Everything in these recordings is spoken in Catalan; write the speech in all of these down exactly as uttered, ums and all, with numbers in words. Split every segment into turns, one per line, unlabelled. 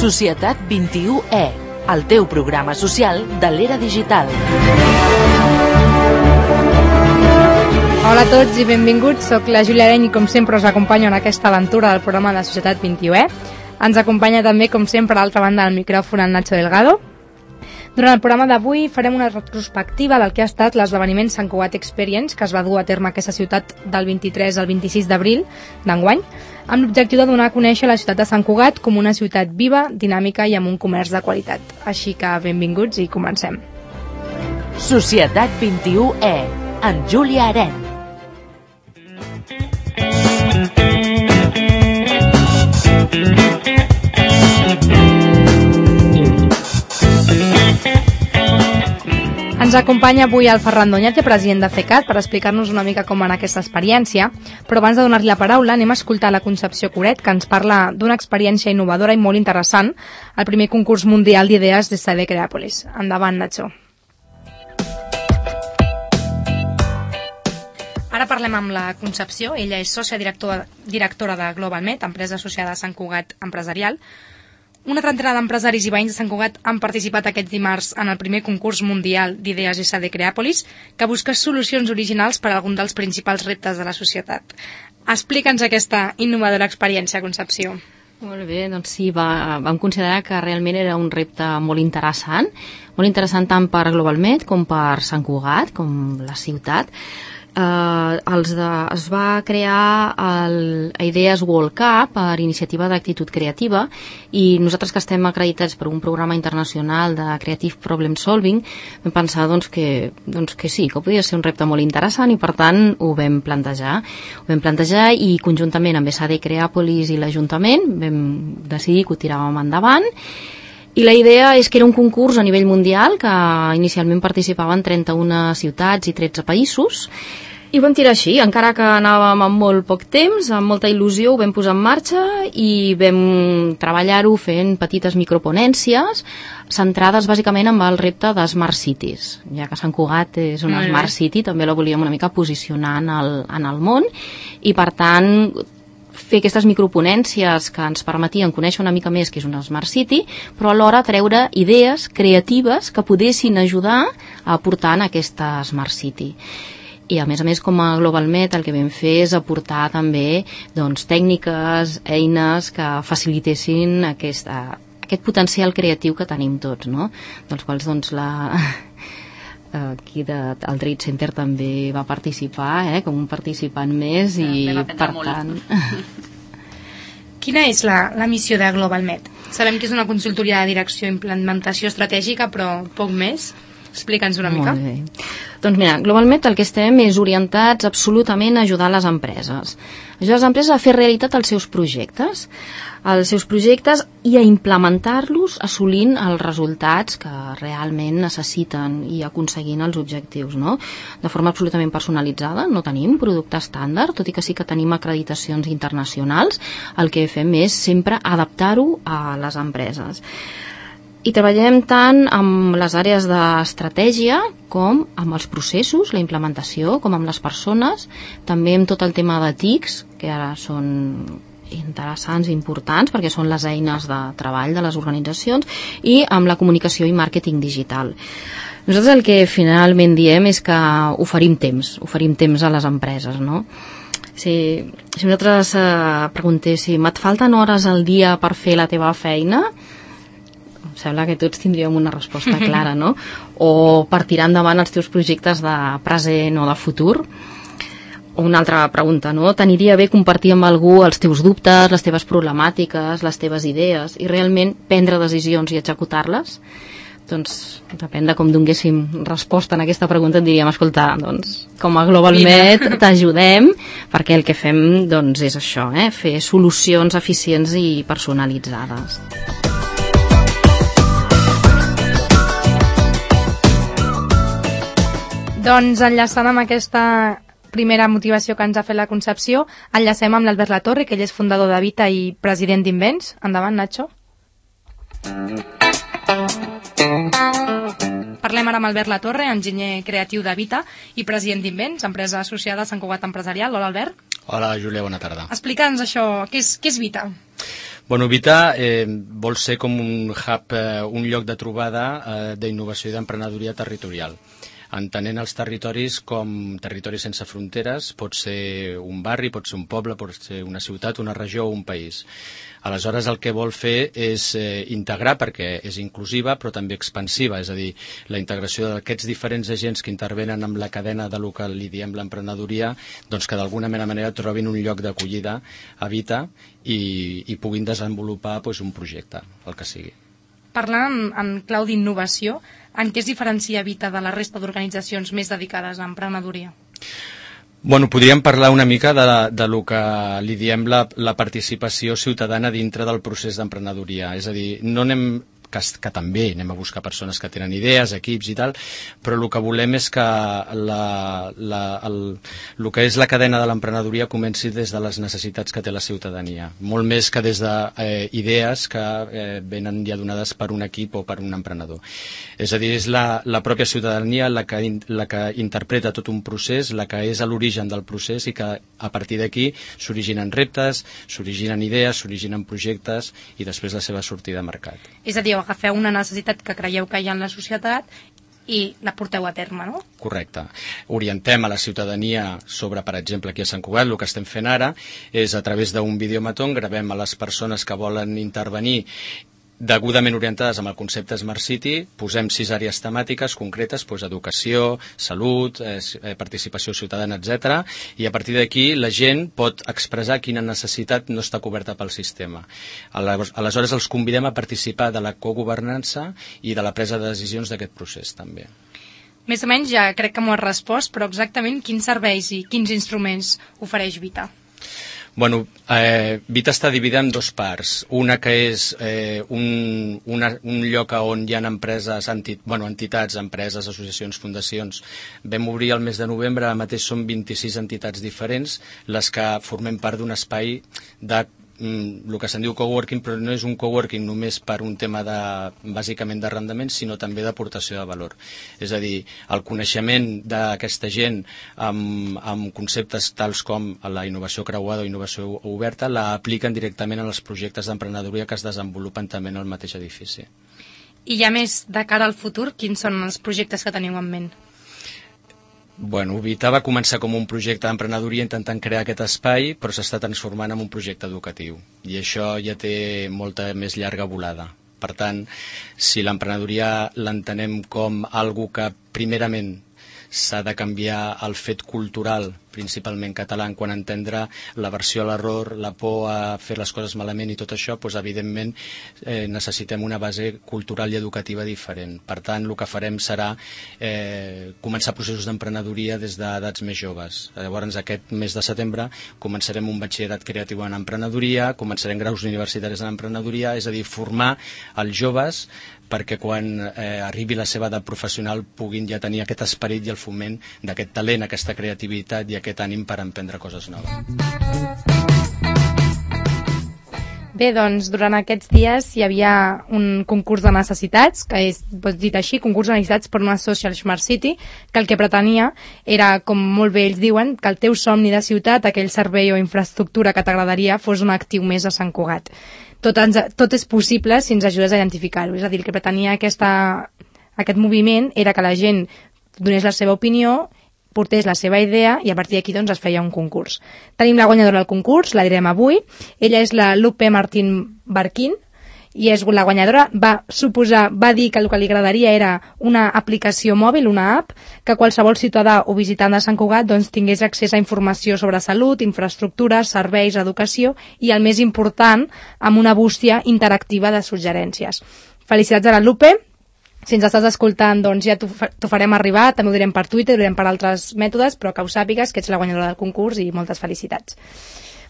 Societat vint-i-u E, el teu programa social de l'era digital.
Hola a tots i benvinguts, soc la Júlia Areny i com sempre us acompanyo en aquesta aventura del programa de Societat vint-i-u E. Ens acompanya també, com sempre, a l'altra banda del micròfon el Nacho Delgado. Durant el programa d'avui farem una retrospectiva del que ha estat l'esdeveniment Sant Cugat Experience, que es va dur a terme a aquesta ciutat del vint-i-tres al vint-i-sis d'abril d'enguany, amb l'objectiu de donar a conèixer la ciutat de Sant Cugat com una ciutat viva, dinàmica i amb un comerç de qualitat. Així que benvinguts i comencem.
Societat vint-i-u E, amb Júlia Areny.
Ens acompanya avui el Ferran Doñate, president de CECAT, per explicar-nos una mica com va anar aquesta experiència, però abans de donar-li la paraula anem a escoltar la Concepció Coret, que ens parla d'una experiència innovadora i molt interessant, el primer concurs mundial d'idees des de Creàpolis. Endavant, Nacho. Ara parlem amb la Concepció. Ella és sòcia directora, directora de GlobalMed, empresa associada a Sant Cugat Empresarial. Una trentena d'empresaris i veïns de Sant Cugat han participat aquest dimarts en el primer concurs mundial d'idees S D Creàpolis, que busca solucions originals per a algun dels principals reptes de la societat. Explica'ns aquesta innovadora experiència, Concepció.
Molt bé, doncs sí, va, vam considerar que realment era un repte molt interessant, molt interessant tant per GlobalMed com per Sant Cugat, com la ciutat. Uh, els de, es va crear el Ideas World Cup per iniciativa d'Actitud Creativa i nosaltres que estem acreditats per un programa internacional de Creative Problem Solving vam pensar doncs, que, doncs, que sí, que podia ser un repte molt interessant i per tant ho vam plantejar ho vam plantejar i conjuntament amb S A D Creàpolis i l'Ajuntament vam decidir que ho tiràvem endavant. I la idea és que era un concurs a nivell mundial que inicialment participaven trenta-una ciutats i tretze països i ho vam tirar així, encara que anàvem amb molt poc temps, amb molta il·lusió ho vam posar en marxa i vam treballar-ho fent petites microponències centrades bàsicament amb el repte de Smart Cities, ja que Sant Cugat és una Smart City, també la volíem una mica posicionar en el, en el món i per tant fer aquestes microponències que ens permetien conèixer una mica més que és una Smart City, però alhora treure idees creatives que poguessin ajudar a aportar en aquesta Smart City. I a més a més com a GlobalMed el que vam fer és aportar també doncs, tècniques, eines que facilitessin aquesta, aquest potencial creatiu que tenim tots, no? Dels quals doncs la... aquí de, el Trade Center també va participar eh, com un participant més i per tant
Quina és la, la missió de GlobalMed? Sabem que és una consultoria de direcció i implementació estratègica, però poc més. Explica'ns una mica.
Molt bé. Doncs mira, GlobalMed el que estem és orientats absolutament a ajudar les empreses. Ajudar les empreses a fer realitat els seus projectes, els seus projectes i a implementar-los assolint els resultats que realment necessiten i aconseguint els objectius, no? De forma absolutament personalitzada, no tenim producte estàndard, tot i que sí que tenim acreditacions internacionals, el que fem és sempre adaptar-ho a les empreses. I treballem tant amb les àrees d'estratègia com amb els processos, la implementació, com amb les persones, també amb tot el tema de T I Cs, que ara són interessants i importants perquè són les eines de treball de les organitzacions, i amb la comunicació i màrqueting digital. Nosaltres el que finalment diem és que oferim temps, oferim temps a les empreses, no? Si, si nosaltres eh, preguntéssim, et falten hores al dia per fer la teva feina? Sembla que tots tindríem una resposta clara, no? O per tirar endavant els teus projectes de present o de futur. O una altra pregunta, no? T'aniria bé compartir amb algú els teus dubtes, les teves problemàtiques, les teves idees i realment prendre decisions i executar-les? Doncs depèn de com donéssim resposta en aquesta pregunta, et diríem, escolta, doncs, com a GlobalMed t'ajudem, perquè el que fem doncs, és això, eh? Fer solucions eficients i personalitzades.
Doncs enllaçant amb aquesta primera motivació que ens ha fet la Concepció, enllacem amb l'Albert Latorre, que ell és fundador de Vita i president d'Invents. Endavant, Nacho. Parlem ara amb Albert Latorre, enginyer creatiu de Vita i president d'Invents, empresa associada a Sant Cugat Empresarial. Hola, Albert.
Hola, Júlia, bona tarda.
Explica'ns això, què és, què és Vita?
Bueno, Vita eh, vol ser com un hub, eh, un lloc de trobada eh, d'innovació i d'emprenedoria territorial. Entenent els territoris com territoris sense fronteres, pot ser un barri, pot ser un poble, pot ser una ciutat, una regió o un país. Aleshores, el que vol fer és eh, integrar, perquè és inclusiva, però també expansiva, és a dir, la integració d'aquests diferents agents que intervenen amb la cadena de lo que li diem l'emprenedoria, doncs que d'alguna manera trobin un lloc d'acollida a Vita i, i puguin desenvolupar doncs, un projecte, el que sigui.
Parlant en, en clau d'innovació, en què es diferencia Vita de la resta d'organitzacions més dedicades a emprenedoria?
Bueno, podríem parlar una mica de, de lo que li diem la, la participació ciutadana dintre del procés d'emprenedoria. És a dir, no anem... Que, que també anem a buscar persones que tenen idees, equips i tal, però el que volem és que la, la, el, el que és la cadena de l'emprenedoria comenci des de les necessitats que té la ciutadania, molt més que des d'idees eh, que eh, venen ja donades per un equip o per un emprenedor. És a dir, és la, la pròpia ciutadania la que, la que interpreta tot un procés, la que és a l'origen del procés i que a partir d'aquí s'originen reptes, s'originen idees, s'originen projectes i després la seva sortida a mercat.
És a dir, agafeu una necessitat que creieu que hi ha en la societat i la porteu a terme, no?
Correcte. Orientem a la ciutadania sobre, per exemple, aquí a Sant Cugat, el que estem fent ara és a través d'un videomaton, gravem a les persones que volen intervenir degudament orientades amb el concepte Smart City, posem sis àrees temàtiques concretes, doncs educació, salut, eh, participació ciutadana, etcètera, i a partir d'aquí la gent pot expressar quina necessitat no està coberta pel sistema. Aleshores els convidem a participar de la cogovernança i de la presa de decisions d'aquest procés també.
Més o menys ja crec que m'ho has respost, però exactament quins serveis i quins instruments ofereix Vita?
Bueno, eh, Vita està dividida en dos parts. Una que és eh, un, una, un lloc on hi ha empreses, enti, bueno, entitats, empreses, associacions, fundacions. Vam obrir el mes de novembre, ara mateix són vint-i-sis entitats diferents, les que formem part d'un espai de el que se'n diu coworking, però no és un coworking només per un tema de, bàsicament d'arrendament, sinó també d'aportació de valor. És a dir, el coneixement d'aquesta gent amb, amb conceptes tals com la innovació creuada o innovació oberta la apliquen directament en els projectes d'emprenedoria que es desenvolupen també en el mateix edifici.
I ja més de cara al futur, quins són els projectes que teniu en ment?
Bueno, Vita va començar com un projecte d'emprenedoria intentant crear aquest espai, però s'està transformant en un projecte educatiu. I això ja té molta més llarga volada. Per tant, si l'emprenedoria l'entenem com algo que primerament s'ha de canviar el fet cultural, principalment català, en quant a entendre l'aversió a l'error, la por a fer les coses malament i tot això, doncs, evidentment eh, necessitem una base cultural i educativa diferent. Per tant, el que farem serà eh, començar processos d'emprenedoria des d'edats més joves. Llavors, aquest mes de setembre començarem un batxillerat creatiu en emprenedoria, començarem graus universitaris en emprenedoria, és a dir, formar els joves perquè quan eh, arribi la seva edat professional puguin ja tenir aquest esperit i el foment d'aquest talent, aquesta creativitat i aquest ànim per emprendre coses noves.
Bé, doncs, durant aquests dies hi havia un concurs de necessitats, que és, pots dir així, concurs de necessitats per una Social Smart City, que el que pretenia era, com molt bé ells diuen, que el teu somni de ciutat, aquell servei o infraestructura que t'agradaria, fos un actiu més a Sant Cugat. Tot, ens, tot és possible si ens ajudes a identificar-ho. És a dir, el que pretenia aquesta, aquest moviment era que la gent donés la seva opinió, portés la seva idea i a partir d'aquí doncs, es feia un concurs. Tenim la guanyadora del concurs, la direm avui. Ella és la Lupe Martín Barquín i és la guanyadora. Va suposar, va dir que el que li agradaria era una aplicació mòbil, una app, que qualsevol ciutadà o visitant de Sant Cugat doncs, tingués accés a informació sobre salut, infraestructures, serveis, educació i, el més important, amb una bústia interactiva de suggerències. Felicitats a la Lupe. Si ens estàs escoltant, doncs ja t'ho farem arribar, també ho direm per Twitter, ho direm per altres mètodes, però que ho sàpigues, que ets la guanyadora del concurs i moltes felicitats.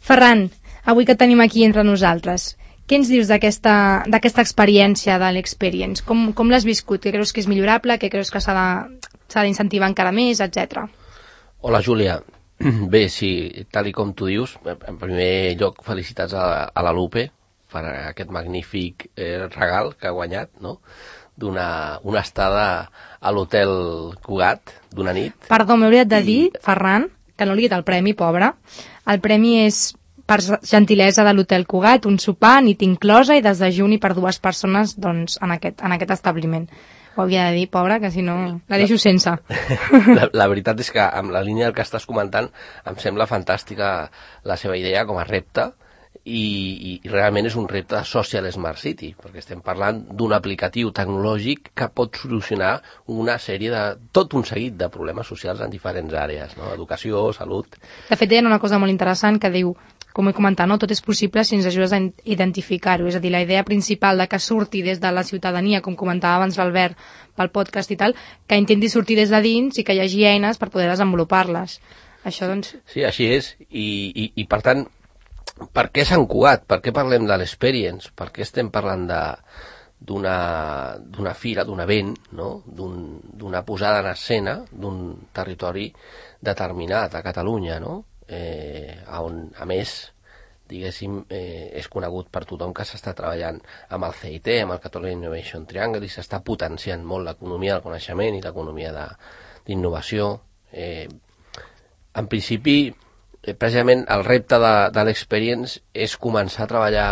Ferran, avui que tenim aquí entre nosaltres, què ens dius d'aquesta d'aquesta experiència de l'Experience? Com, com l'has viscut? Què creus que és millorable? Què creus que s'ha d'incentivar encara més, etcètera?
Hola, Júlia. Bé, sí, tal i com tu dius, en primer lloc felicitats a, a la Lupe per aquest magnífic eh, regal que ha guanyat, no?, d'una una estada a l'hotel Cugat d'una nit.
Perdó, m'he oblidat de dir, Ferran, que no li he dit el premi, pobre. El premi és per gentilesa de l'Hotel Cugat, un sopar, nit inclosa i desdejuni per dues persones doncs, en, aquest, en aquest establiment. Ho havia de dir, pobra, que si no la deixo sense.
La, la veritat és que amb la línia del que estàs comentant em sembla fantàstica la seva idea com a repte, i, i realment és un repte de Social Smart City, perquè estem parlant d'un aplicatiu tecnològic que pot solucionar una sèrie de, tot un seguit de problemes socials en diferents àrees, no? Educació, salut...
De fet, deien una cosa molt interessant que diu, com he comentat, no? Tot és possible si ens ajudes a identificar-ho, és a dir, la idea principal de que surti des de la ciutadania, com comentava abans l'Albert pel podcast i tal, que intenti sortir des de dins i que hi hagi eines per poder desenvolupar-les. Això, doncs...
Sí, així és, i, i, i per tant, per què Sant Cugat? Per què parlem de l'Experience? Per què estem parlant d'una d'una fira, d'un event, no? D'una posada en escena d'un territori determinat a Catalunya, no? Eh, on, a més, diguéssim, eh, és conegut per tothom que s'està treballant amb el C I T, amb el Catalunya Innovation Triangle, i s'està potenciant molt l'economia del coneixement i l'economia d'innovació. Eh, en principi, precisament el repte de, de l'Experience és començar a treballar,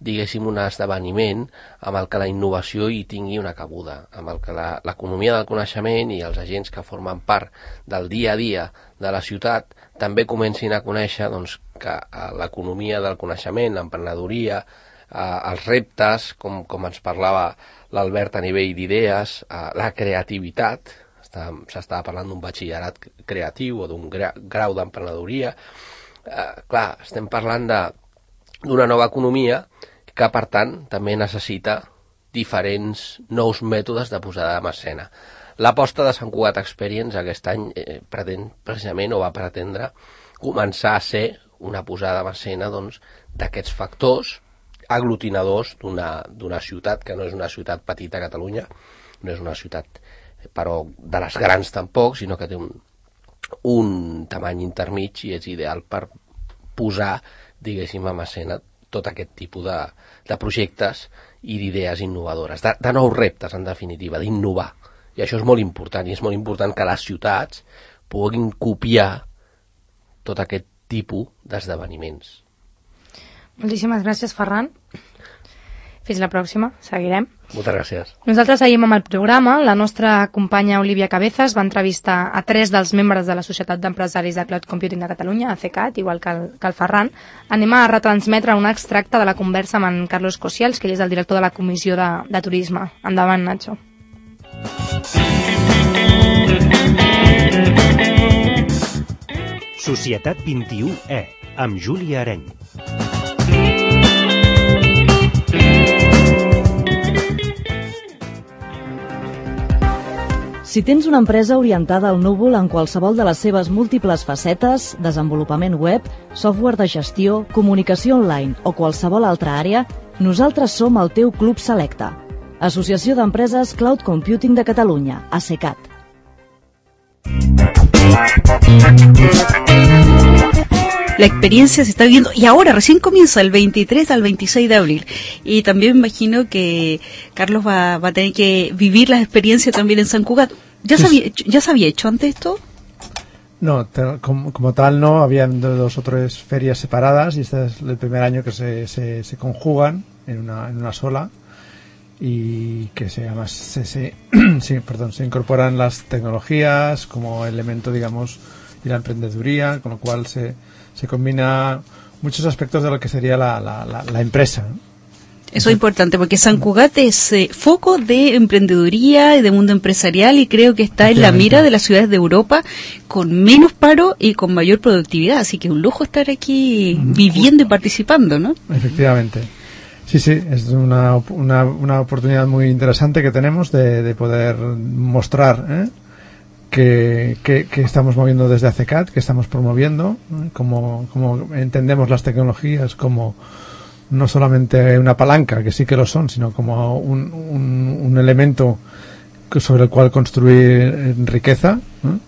diguéssim, un esdeveniment amb el que la innovació hi tingui una cabuda, amb el que l'economia del coneixement i els agents que formen part del dia a dia de la ciutat també comencin a conèixer doncs, que l'economia del coneixement, l'emprenedoria, eh, els reptes, com, com ens parlava l'Albert a nivell d'idees, eh, la creativitat. S'estava parlant d'un batxillerat creatiu o d'un gra, grau d'emprenedoria. Eh, clar, estem parlant d'una nova economia que, per tant, també necessita diferents nous mètodes de posada en escena. L'aposta de Sant Cugat Experience aquest any eh, pretén precisament o va pretendre començar a ser una posada en escena doncs, d'aquests factors aglutinadors d'una ciutat que no és una ciutat petita a Catalunya, no és una ciutat però de les grans tampoc, sinó que té un, un tamany intermig i és ideal per posar, diguéssim, en escena tot aquest tipus de, de projectes i d'idees innovadores, de, de nous reptes, en definitiva, d'innovar. I això és molt important, i és molt important que les ciutats puguin copiar tot aquest tipus d'esdeveniments.
Moltíssimes gràcies, Ferran. Fins la pròxima, seguirem.
Moltes gràcies.
Nosaltres seguim amb el programa. La nostra companya Olivia Cabezas va entrevistar a tres dels membres de la Societat d'Empresaris de Cloud Computing de Catalunya, A C C A T, igual que el, que el Ferran. Anem a retransmetre un extracte de la conversa amb en Carlos Cosials, que ell és el director de la Comissió de, de Turisme. Endavant, Nacho.
Societat vint-i-u E, amb Júlia Areny.
Si tens una empresa orientada al núvol en qualsevol de les seves múltiples facetes, desenvolupament web, software de gestió, comunicació online o qualsevol altra àrea, nosaltres som el teu club selecte. Associació d'Empreses Cloud Computing de Catalunya, A C C A T.
La experiencia se está viviendo y ahora recién comienza el veintitrés al veintiséis de abril, y también me imagino que Carlos va, va a tener que vivir la experiencia también en San Cugat. ¿Ya, sí, se, había hecho, ¿Ya se había hecho antes esto?
No, te, como, como tal no, habían dos o tres ferias separadas y este es el primer año que se, se, se conjugan en una, en una sola y que se, además se, se, sí, perdón, se incorporan las tecnologías como elemento, digamos, y la emprendeduría, con lo cual se se combina muchos aspectos de lo que sería la, la, la, la empresa, ¿no?
Eso es importante, porque San Cugat es eh, foco de emprendeduría y de mundo empresarial, y creo que está en la mira de las ciudades de Europa con menos paro y con mayor productividad, así que un lujo estar aquí viviendo y participando, ¿no?
Efectivamente. Sí, sí, es una, una, una oportunidad muy interesante que tenemos de, de poder mostrar, ¿eh? Que, que, que estamos moviendo desde A C C A T, que estamos promoviendo, ¿no? como, como entendemos las tecnologías como no solamente una palanca, que sí que lo son, sino como un, un, un elemento sobre el cual construir riqueza, ¿no?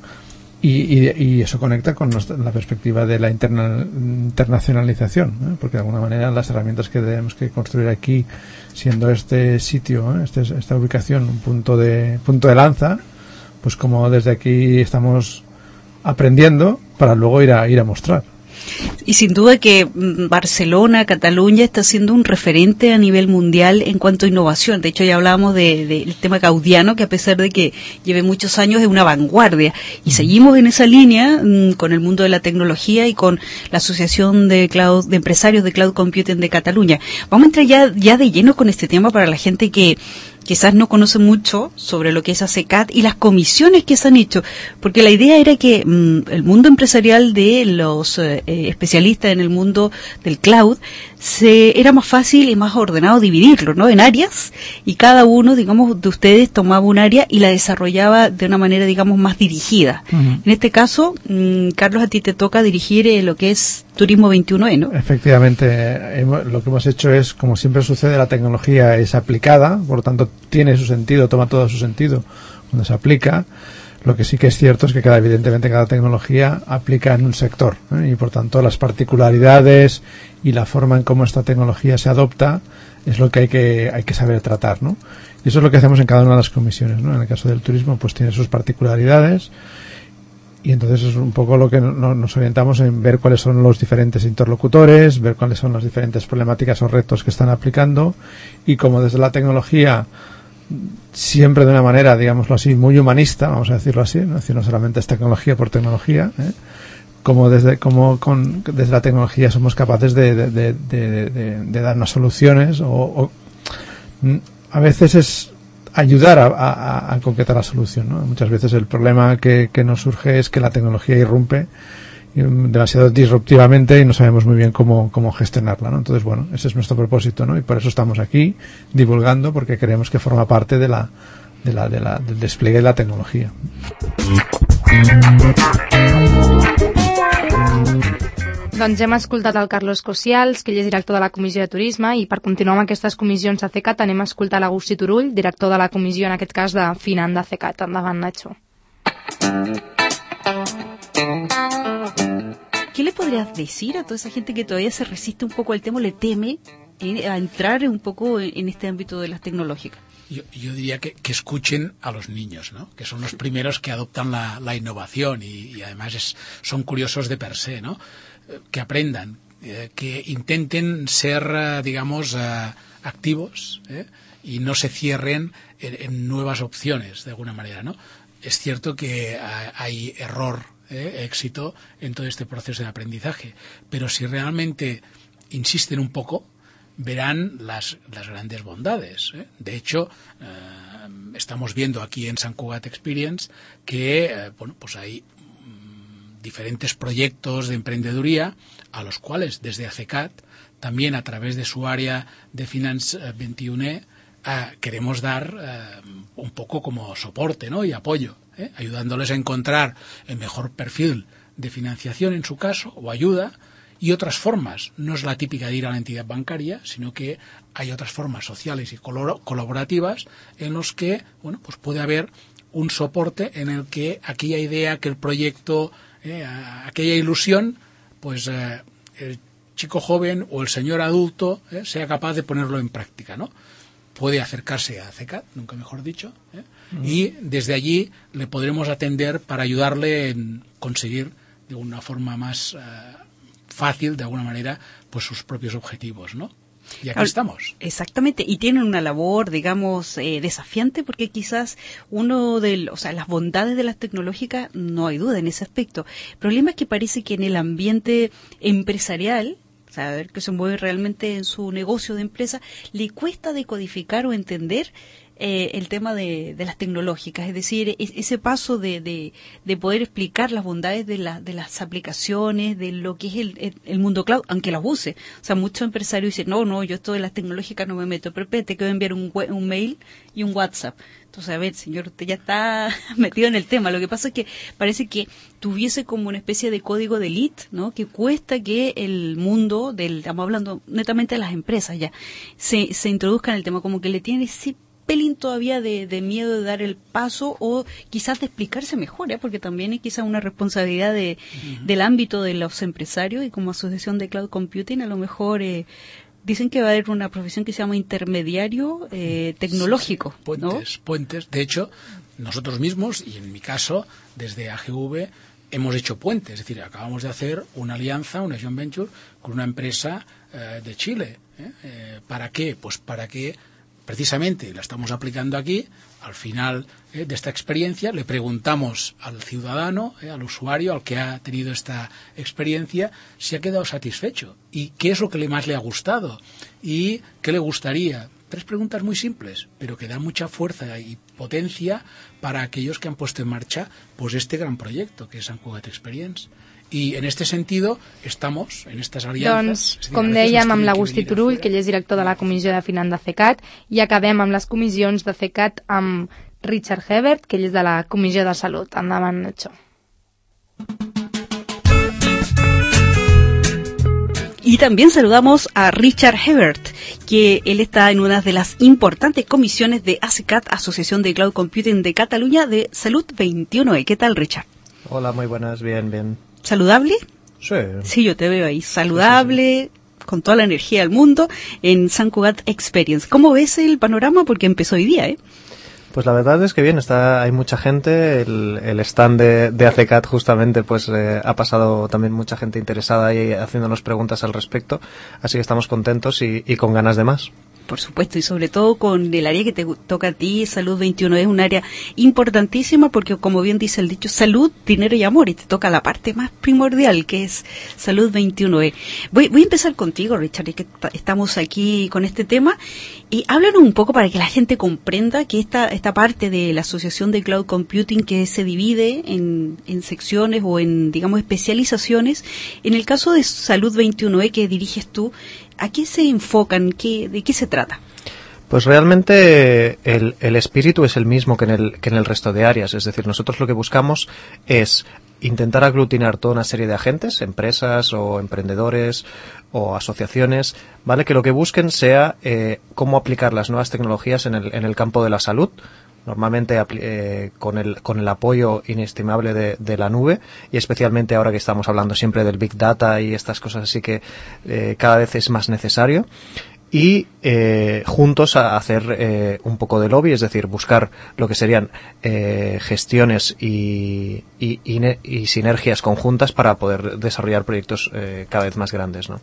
y, y, y eso conecta con la perspectiva de la interna, internacionalización, ¿eh? Porque de alguna manera las herramientas que tenemos que construir aquí, siendo este sitio, ¿eh? este, esta ubicación un punto de, punto de lanza, pues como desde aquí estamos aprendiendo para luego ir a ir a mostrar.
Y sin duda que Barcelona, Cataluña está siendo un referente a nivel mundial en cuanto a innovación. De hecho, ya hablábamos del de, de tema gaudiano, que a pesar de que lleve muchos años es una vanguardia. Y seguimos en esa línea mmm, con el mundo de la tecnología y con la Asociación de Cloud, de Empresarios de Cloud Computing de Cataluña. Vamos a entrar ya, ya de lleno con este tema para la gente que quizás no conoce mucho sobre lo que es ACECAD y las comisiones que se han hecho, porque la idea era que mmm, el mundo empresarial de los eh, especialistas en el mundo del cloud se era más fácil y más ordenado dividirlo, ¿no? En áreas, y cada uno, digamos, de ustedes tomaba un área y la desarrollaba de una manera, digamos, más dirigida. Uh-huh. En este caso, mmm, Carlos, a ti te toca dirigir eh, lo que es Turismo veintiuno E, ¿no?
Efectivamente, hemos, lo que hemos hecho es, como siempre sucede, la tecnología es aplicada, por lo tanto tiene su sentido, toma todo su sentido cuando se aplica. Lo que sí que es cierto es que cada, evidentemente cada tecnología aplica en un sector, ¿eh? Y por tanto las particularidades y la forma en cómo esta tecnología se adopta es lo que hay que hay que saber tratar, ¿no? Y eso es lo que hacemos en cada una de las comisiones, ¿no? En el caso del turismo, pues tiene sus particularidades. Y entonces es un poco lo que no, nos orientamos en ver cuáles son los diferentes interlocutores, ver cuáles son las diferentes problemáticas o retos que están aplicando, y como desde la tecnología, siempre de una manera, digámoslo así, muy humanista, vamos a decirlo así, no, es decir, no solamente es tecnología por tecnología, ¿eh? como desde como con desde la tecnología somos capaces de, de, de, de, de, de darnos soluciones, o, o a veces es ayudar a, a, a concretar la solución, ¿no? Muchas veces el problema que, que nos surge es que la tecnología irrumpe demasiado disruptivamente y no sabemos muy bien cómo, cómo gestionarla, ¿no? Entonces, bueno, ese es nuestro propósito, ¿no? Y por eso estamos aquí divulgando, porque creemos que forma parte de la, de la, de la, del despliegue de la tecnología.
Doncs hem escoltat el Carlos Cosials, que ell és director de la Comissió de Turisme, i per continuar amb aquestes comissions ACECAD anem a escoltar l'Agustí Turull, director de la comissió, en aquest cas de Finan de ACECAD. Endavant, Nacho.
¿Qué le podrías decir a toda esa gente que todavía se resiste un poco al tema, le teme a entrar un poco en este ámbito de las tecnológicas?
Yo, yo diría que, que escuchen a los niños, ¿no? Que son los primeros que adoptan la, la innovación y, y además es, son curiosos de per se, ¿no? Que aprendan, eh, que intenten ser, eh, digamos, eh, activos, ¿eh? Y no se cierren en, en nuevas opciones, de alguna manera, ¿no? Es cierto que eh, hay error, eh, éxito en todo este proceso de aprendizaje, pero si realmente insisten un poco, verán las, las grandes bondades, ¿eh? De hecho, eh, estamos viendo aquí en Sant Cugat Experience que, eh, bueno, pues hay diferentes proyectos de emprendeduría a los cuales desde ACECAD, también a través de su área de Finance veintiuno E, eh, queremos dar eh, un poco como soporte, ¿no? Y apoyo, ¿eh? Ayudándoles a encontrar el mejor perfil de financiación en su caso, o ayuda, y otras formas. No es la típica de ir a la entidad bancaria, sino que hay otras formas sociales y colaborativas en los que, bueno, pues puede haber un soporte en el que aquella idea, que el proyecto, Eh, aquella ilusión, pues eh, el chico joven o el señor adulto eh, sea capaz de ponerlo en práctica, ¿no? Puede acercarse a ACECAD, nunca mejor dicho, ¿eh? Mm. Y desde allí le podremos atender para ayudarle en conseguir de una forma más eh, fácil, de alguna manera, pues sus propios objetivos, ¿no? Y aquí estamos.
Exactamente, y tienen una labor, digamos, eh, desafiante, porque quizás uno de, o sea, las bondades de las tecnológicas, no hay duda en ese aspecto. El problema es que parece que en el ambiente empresarial, o sea, a ver, que se mueve realmente en su negocio de empresa, le cuesta decodificar o entender Eh, el tema de, de las tecnológicas, es decir, es, ese paso de, de, de poder explicar las bondades de, la, de las aplicaciones, de lo que es el, el, el mundo cloud, aunque las use. O sea, muchos empresarios dicen, no, no, yo esto de las tecnológicas no me meto, pero te quiero enviar un, un mail y un WhatsApp. Entonces, a ver, señor, usted ya está metido en el tema. Lo que pasa es que parece que tuviese como una especie de código de elite, ¿no? Que cuesta que el mundo, del, estamos hablando netamente de las empresas ya, se, se introduzca en el tema, como que le tiene ese pelín todavía de, de miedo de dar el paso, o quizás de explicarse mejor, ¿eh? Porque también es quizás una responsabilidad de, uh-huh. del ámbito de los empresarios, y como asociación de Cloud Computing a lo mejor eh, dicen que va a haber una profesión que se llama intermediario eh, tecnológico,
sí, sí. Puentes, ¿no? Puentes. De hecho, nosotros mismos, y en mi caso, desde A G V, hemos hecho puentes, es decir, acabamos de hacer una alianza, una joint venture con una empresa eh, de Chile. ¿eh? Eh, ¿Para qué? Pues para que precisamente la estamos aplicando aquí. Al final eh, de esta experiencia le preguntamos al ciudadano, eh, al usuario, al que ha tenido esta experiencia, si ha quedado satisfecho y qué es lo que le más le ha gustado y qué le gustaría. Tres preguntas muy simples, pero que dan mucha fuerza y potencia para aquellos que han puesto en marcha pues este gran proyecto que es Sant Cugat Experience. I en este sentido estamos en estas aliances.
Doncs, com dèiem, amb l'Agustí Turull, que ell és director de la Comissió de Finanç de CECAT, i acabem amb les comissions de CECAT amb Richard Hebert, que ell és de la Comissió de Salut. Endavant, Nacho.
Y también saludamos a Richard Hebert, que él está en una de las importantes comisiones de ACECAT, Asociación de Cloud Computing de Cataluña, de Salud veintiuno E. ¿Qué tal, Richard?
Hola, muy buenas, bien, bien.
¿Saludable?
Sí.
Sí, yo te veo ahí, saludable, sí, sí, sí. Con toda la energía del mundo, en Sant Cugat Experience. ¿Cómo ves el panorama? Porque empezó hoy día, ¿eh?
Pues la verdad es que bien, está, hay mucha gente, el, el stand de, de ACECAT justamente pues eh, ha pasado también mucha gente interesada y haciéndonos preguntas al respecto, así que estamos contentos y, y con ganas de más.
Por supuesto, y sobre todo con el área que te toca a ti, Salud veintiuno, es un área importantísima porque, como bien dice el dicho, salud, dinero y amor, y te toca la parte más primordial, que es Salud veintiuno E. Voy, voy a empezar contigo, Richard, y que estamos aquí con este tema, y háblanos un poco para que la gente comprenda que esta, esta parte de la Asociación de Cloud Computing que se divide en, en secciones o en, digamos, especializaciones, en el caso de Salud veintiuno E que diriges tú, ¿a qué se enfocan? ¿Qué, ¿De qué se trata?
Pues realmente el, el espíritu es el mismo que en el, que en el resto de áreas. Es decir, nosotros lo que buscamos es intentar aglutinar toda una serie de agentes, empresas o emprendedores o asociaciones, ¿vale? Que lo que busquen sea eh, cómo aplicar las nuevas tecnologías en el, en el campo de la salud, normalmente eh, con el con el apoyo inestimable de, de la nube, y especialmente ahora que estamos hablando siempre del Big Data y estas cosas así que eh, cada vez es más necesario, y eh, juntos a hacer eh, un poco de lobby, es decir, buscar lo que serían eh, gestiones y, y, y, y sinergias conjuntas para poder desarrollar proyectos eh, cada vez más grandes, ¿no?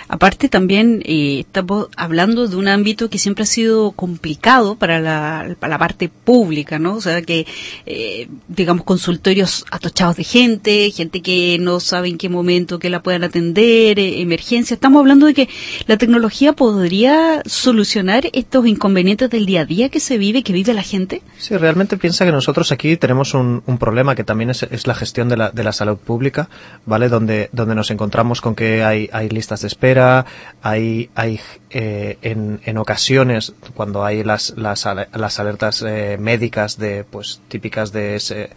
Aparte también eh, estamos hablando de un ámbito que siempre ha sido complicado para la, para la parte pública, ¿no? O sea que, eh, digamos, consultorios atochados de gente, gente que no sabe en qué momento que la puedan atender, eh, emergencia. Estamos hablando de que la tecnología podría solucionar estos inconvenientes del día a día que se vive, que vive la gente.
Sí, realmente piensa que nosotros aquí tenemos un, un problema que también es, es la gestión de la, de la salud pública, ¿vale? Donde, donde nos encontramos con que hay, hay listas de espera, hay, hay eh, en, en ocasiones cuando hay las, las, las alertas eh, médicas de, pues, típicas de ese,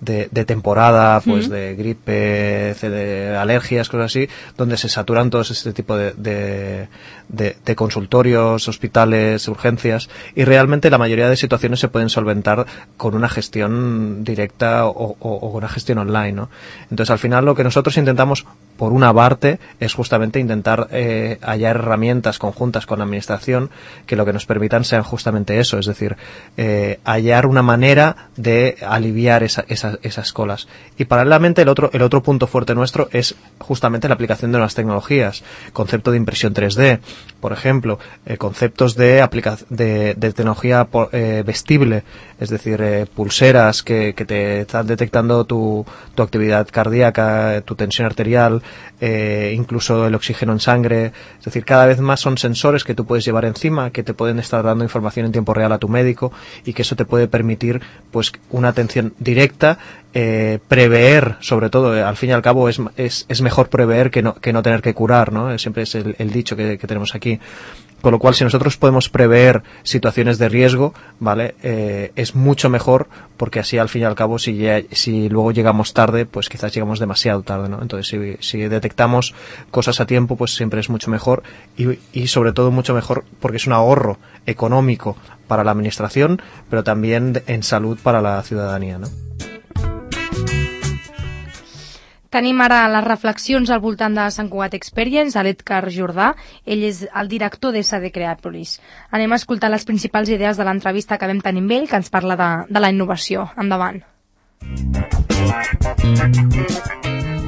de, de temporada, pues, uh-huh. de gripe, de alergias, cosas así, donde se saturan todos este tipo de, de, de, de consultorios, hospitales, urgencias, y realmente la mayoría de situaciones se pueden solventar con una gestión directa o, o, o una gestión online, ¿no? Entonces, al final, lo que nosotros intentamos, por una parte, es justamente intentar eh, hallar herramientas conjuntas con la administración que lo que nos permitan sean justamente eso, es decir, eh, hallar una manera de aliviar esa, esa esas colas. Y paralelamente el otro el otro punto fuerte nuestro es justamente la aplicación de nuevas tecnologías, concepto de impresión tres D, por ejemplo, eh, conceptos de, aplica de, de tecnología eh, vestible, es decir, eh, pulseras que, que te están detectando tu, tu actividad cardíaca, tu tensión arterial, eh, incluso el oxígeno en sangre, es decir, cada vez más son sensores que tú puedes llevar encima, que te pueden estar dando información en tiempo real a tu médico, y que eso te puede permitir pues una atención directa, eh, prever, sobre todo, eh, al fin y al cabo es, es, es mejor prever que no, que no tener que curar, ¿no? Siempre es el, el dicho que, que tenemos aquí. Con lo cual, si nosotros podemos prever situaciones de riesgo, ¿vale? Eh, es mucho mejor, porque así al fin y al cabo, si, ya, si luego llegamos tarde, pues quizás llegamos demasiado tarde, ¿no? Entonces, si, si detectamos cosas a tiempo, pues siempre es mucho mejor, y, y sobre todo mucho mejor porque es un ahorro económico para la administración, pero también en salud para la ciudadanía, ¿no?
Tenim ara les reflexions al voltant de Sant Cugat Experience, a l'Edgar Jordà. Ell és el director d'S D Creatoris. Anem a escoltar les principals idees de l'entrevista que vam tenir amb ell, que ens parla de, de la innovació. Endavant.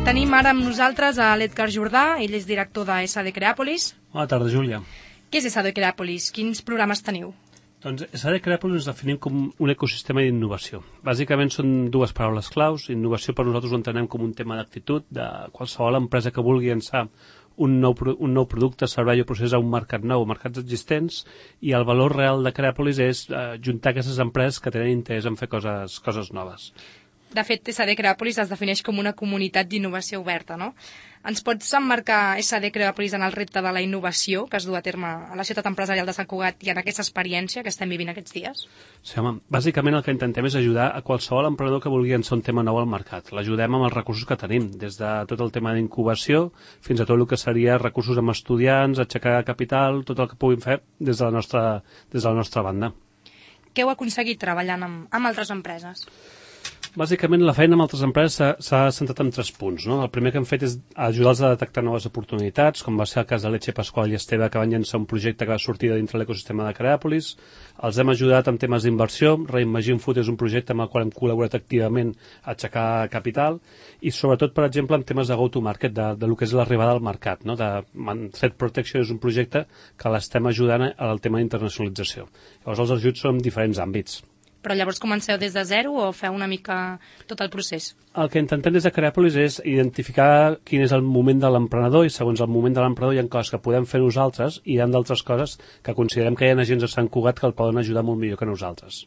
Tenim ara amb nosaltres a l'Edgar Jordà, ell és director de S D Creàpolis.
Bona tarda, Júlia.
Què és S D Creàpolis? Quins programes teniu?
Doncs S D Creàpolis ens definim com un ecosistema d'innovació. Bàsicament són dues paraules claus. Innovació per nosaltres ho entenem com un tema d'actitud de qualsevol empresa que vulgui llançar un nou, un nou producte, servei o procés a un mercat nou, mercats existents, i el valor real de Creàpolis és eh, juntar aquestes empreses que tenen interès en fer coses, coses noves.
De fet, S D Creàpolis es defineix com una comunitat d'innovació oberta, no? Ens pots emmarcar S D Creàpolis en el repte de la innovació que es du a terme a la ciutat empresarial de Sant Cugat i en aquesta experiència que estem vivint aquests dies?
Sí, home, bàsicament el que intentem és ajudar a qualsevol emprenedor que vulgui llançar un tema nou al mercat. L'ajudem amb els recursos que tenim, des de tot el tema d'incubació fins a tot el que seria recursos amb estudiants, aixecar capital, tot el que puguin fer des de la nostra, des de la nostra banda.
Què heu aconseguit treballant amb, amb altres empreses?
Bàsicament, la feina amb altres empreses s'ha centrat en tres punts. No? El primer que hem fet és ajudar-los a detectar noves oportunitats, com va ser el cas de Leche Pasqual i Esteve, que van llançar un projecte que va sortir de dintre l'ecosistema de Creàpolis. Els hem ajudat amb temes d'inversió. Reimagine Food és un projecte amb el qual hem col·laborat activament a aixecar capital. I sobretot, per exemple, en temes de go-to-market, de, de lo que és l'arribada al mercat. No? De Threat Protection és un projecte que l'estem ajudant al tema d'internacionalització. Llavors, els ajuts són en diferents àmbits.
Però llavors comenceu des de zero o feu una mica tot el procés?
El que intentem des de Creàpolis és identificar quin és el moment de l'emprenedor i segons el moment de l'emprenedor hi ha coses que podem fer nosaltres i hi ha d'altres coses que considerem que hi ha agents de Sant Cugat que el poden ajudar molt millor que nosaltres.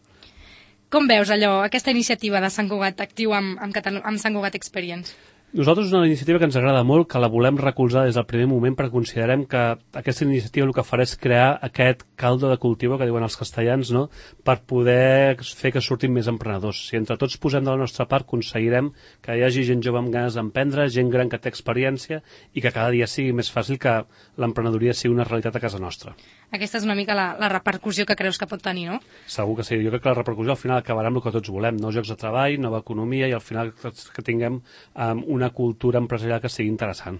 Com veus allò, aquesta iniciativa de Sant Cugat actiu amb, amb, Catalu- amb Sant Cugat Experience?
Nosaltres és una iniciativa que ens agrada molt, que la volem recolzar des del primer moment perquè considerem que aquesta iniciativa el que farà és crear aquest caldo de cultiu que diuen els castellans, no? Per poder fer que surtin més emprenedors. Si entre tots posem de la nostra part, aconseguirem que hi hagi gent jove amb ganes d'emprendre, gent gran que té experiència i que cada dia sigui més fàcil que l'emprenedoria sigui una realitat a casa nostra.
Aquesta és una mica la, la repercussió que creus que pot tenir, no?
Segur que sí. Jo crec que la repercussió al final acabarà amb el que tots volem, nous llocs de treball, nova economia i al final que tinguem um, una cultura empresarial que sigui interessant.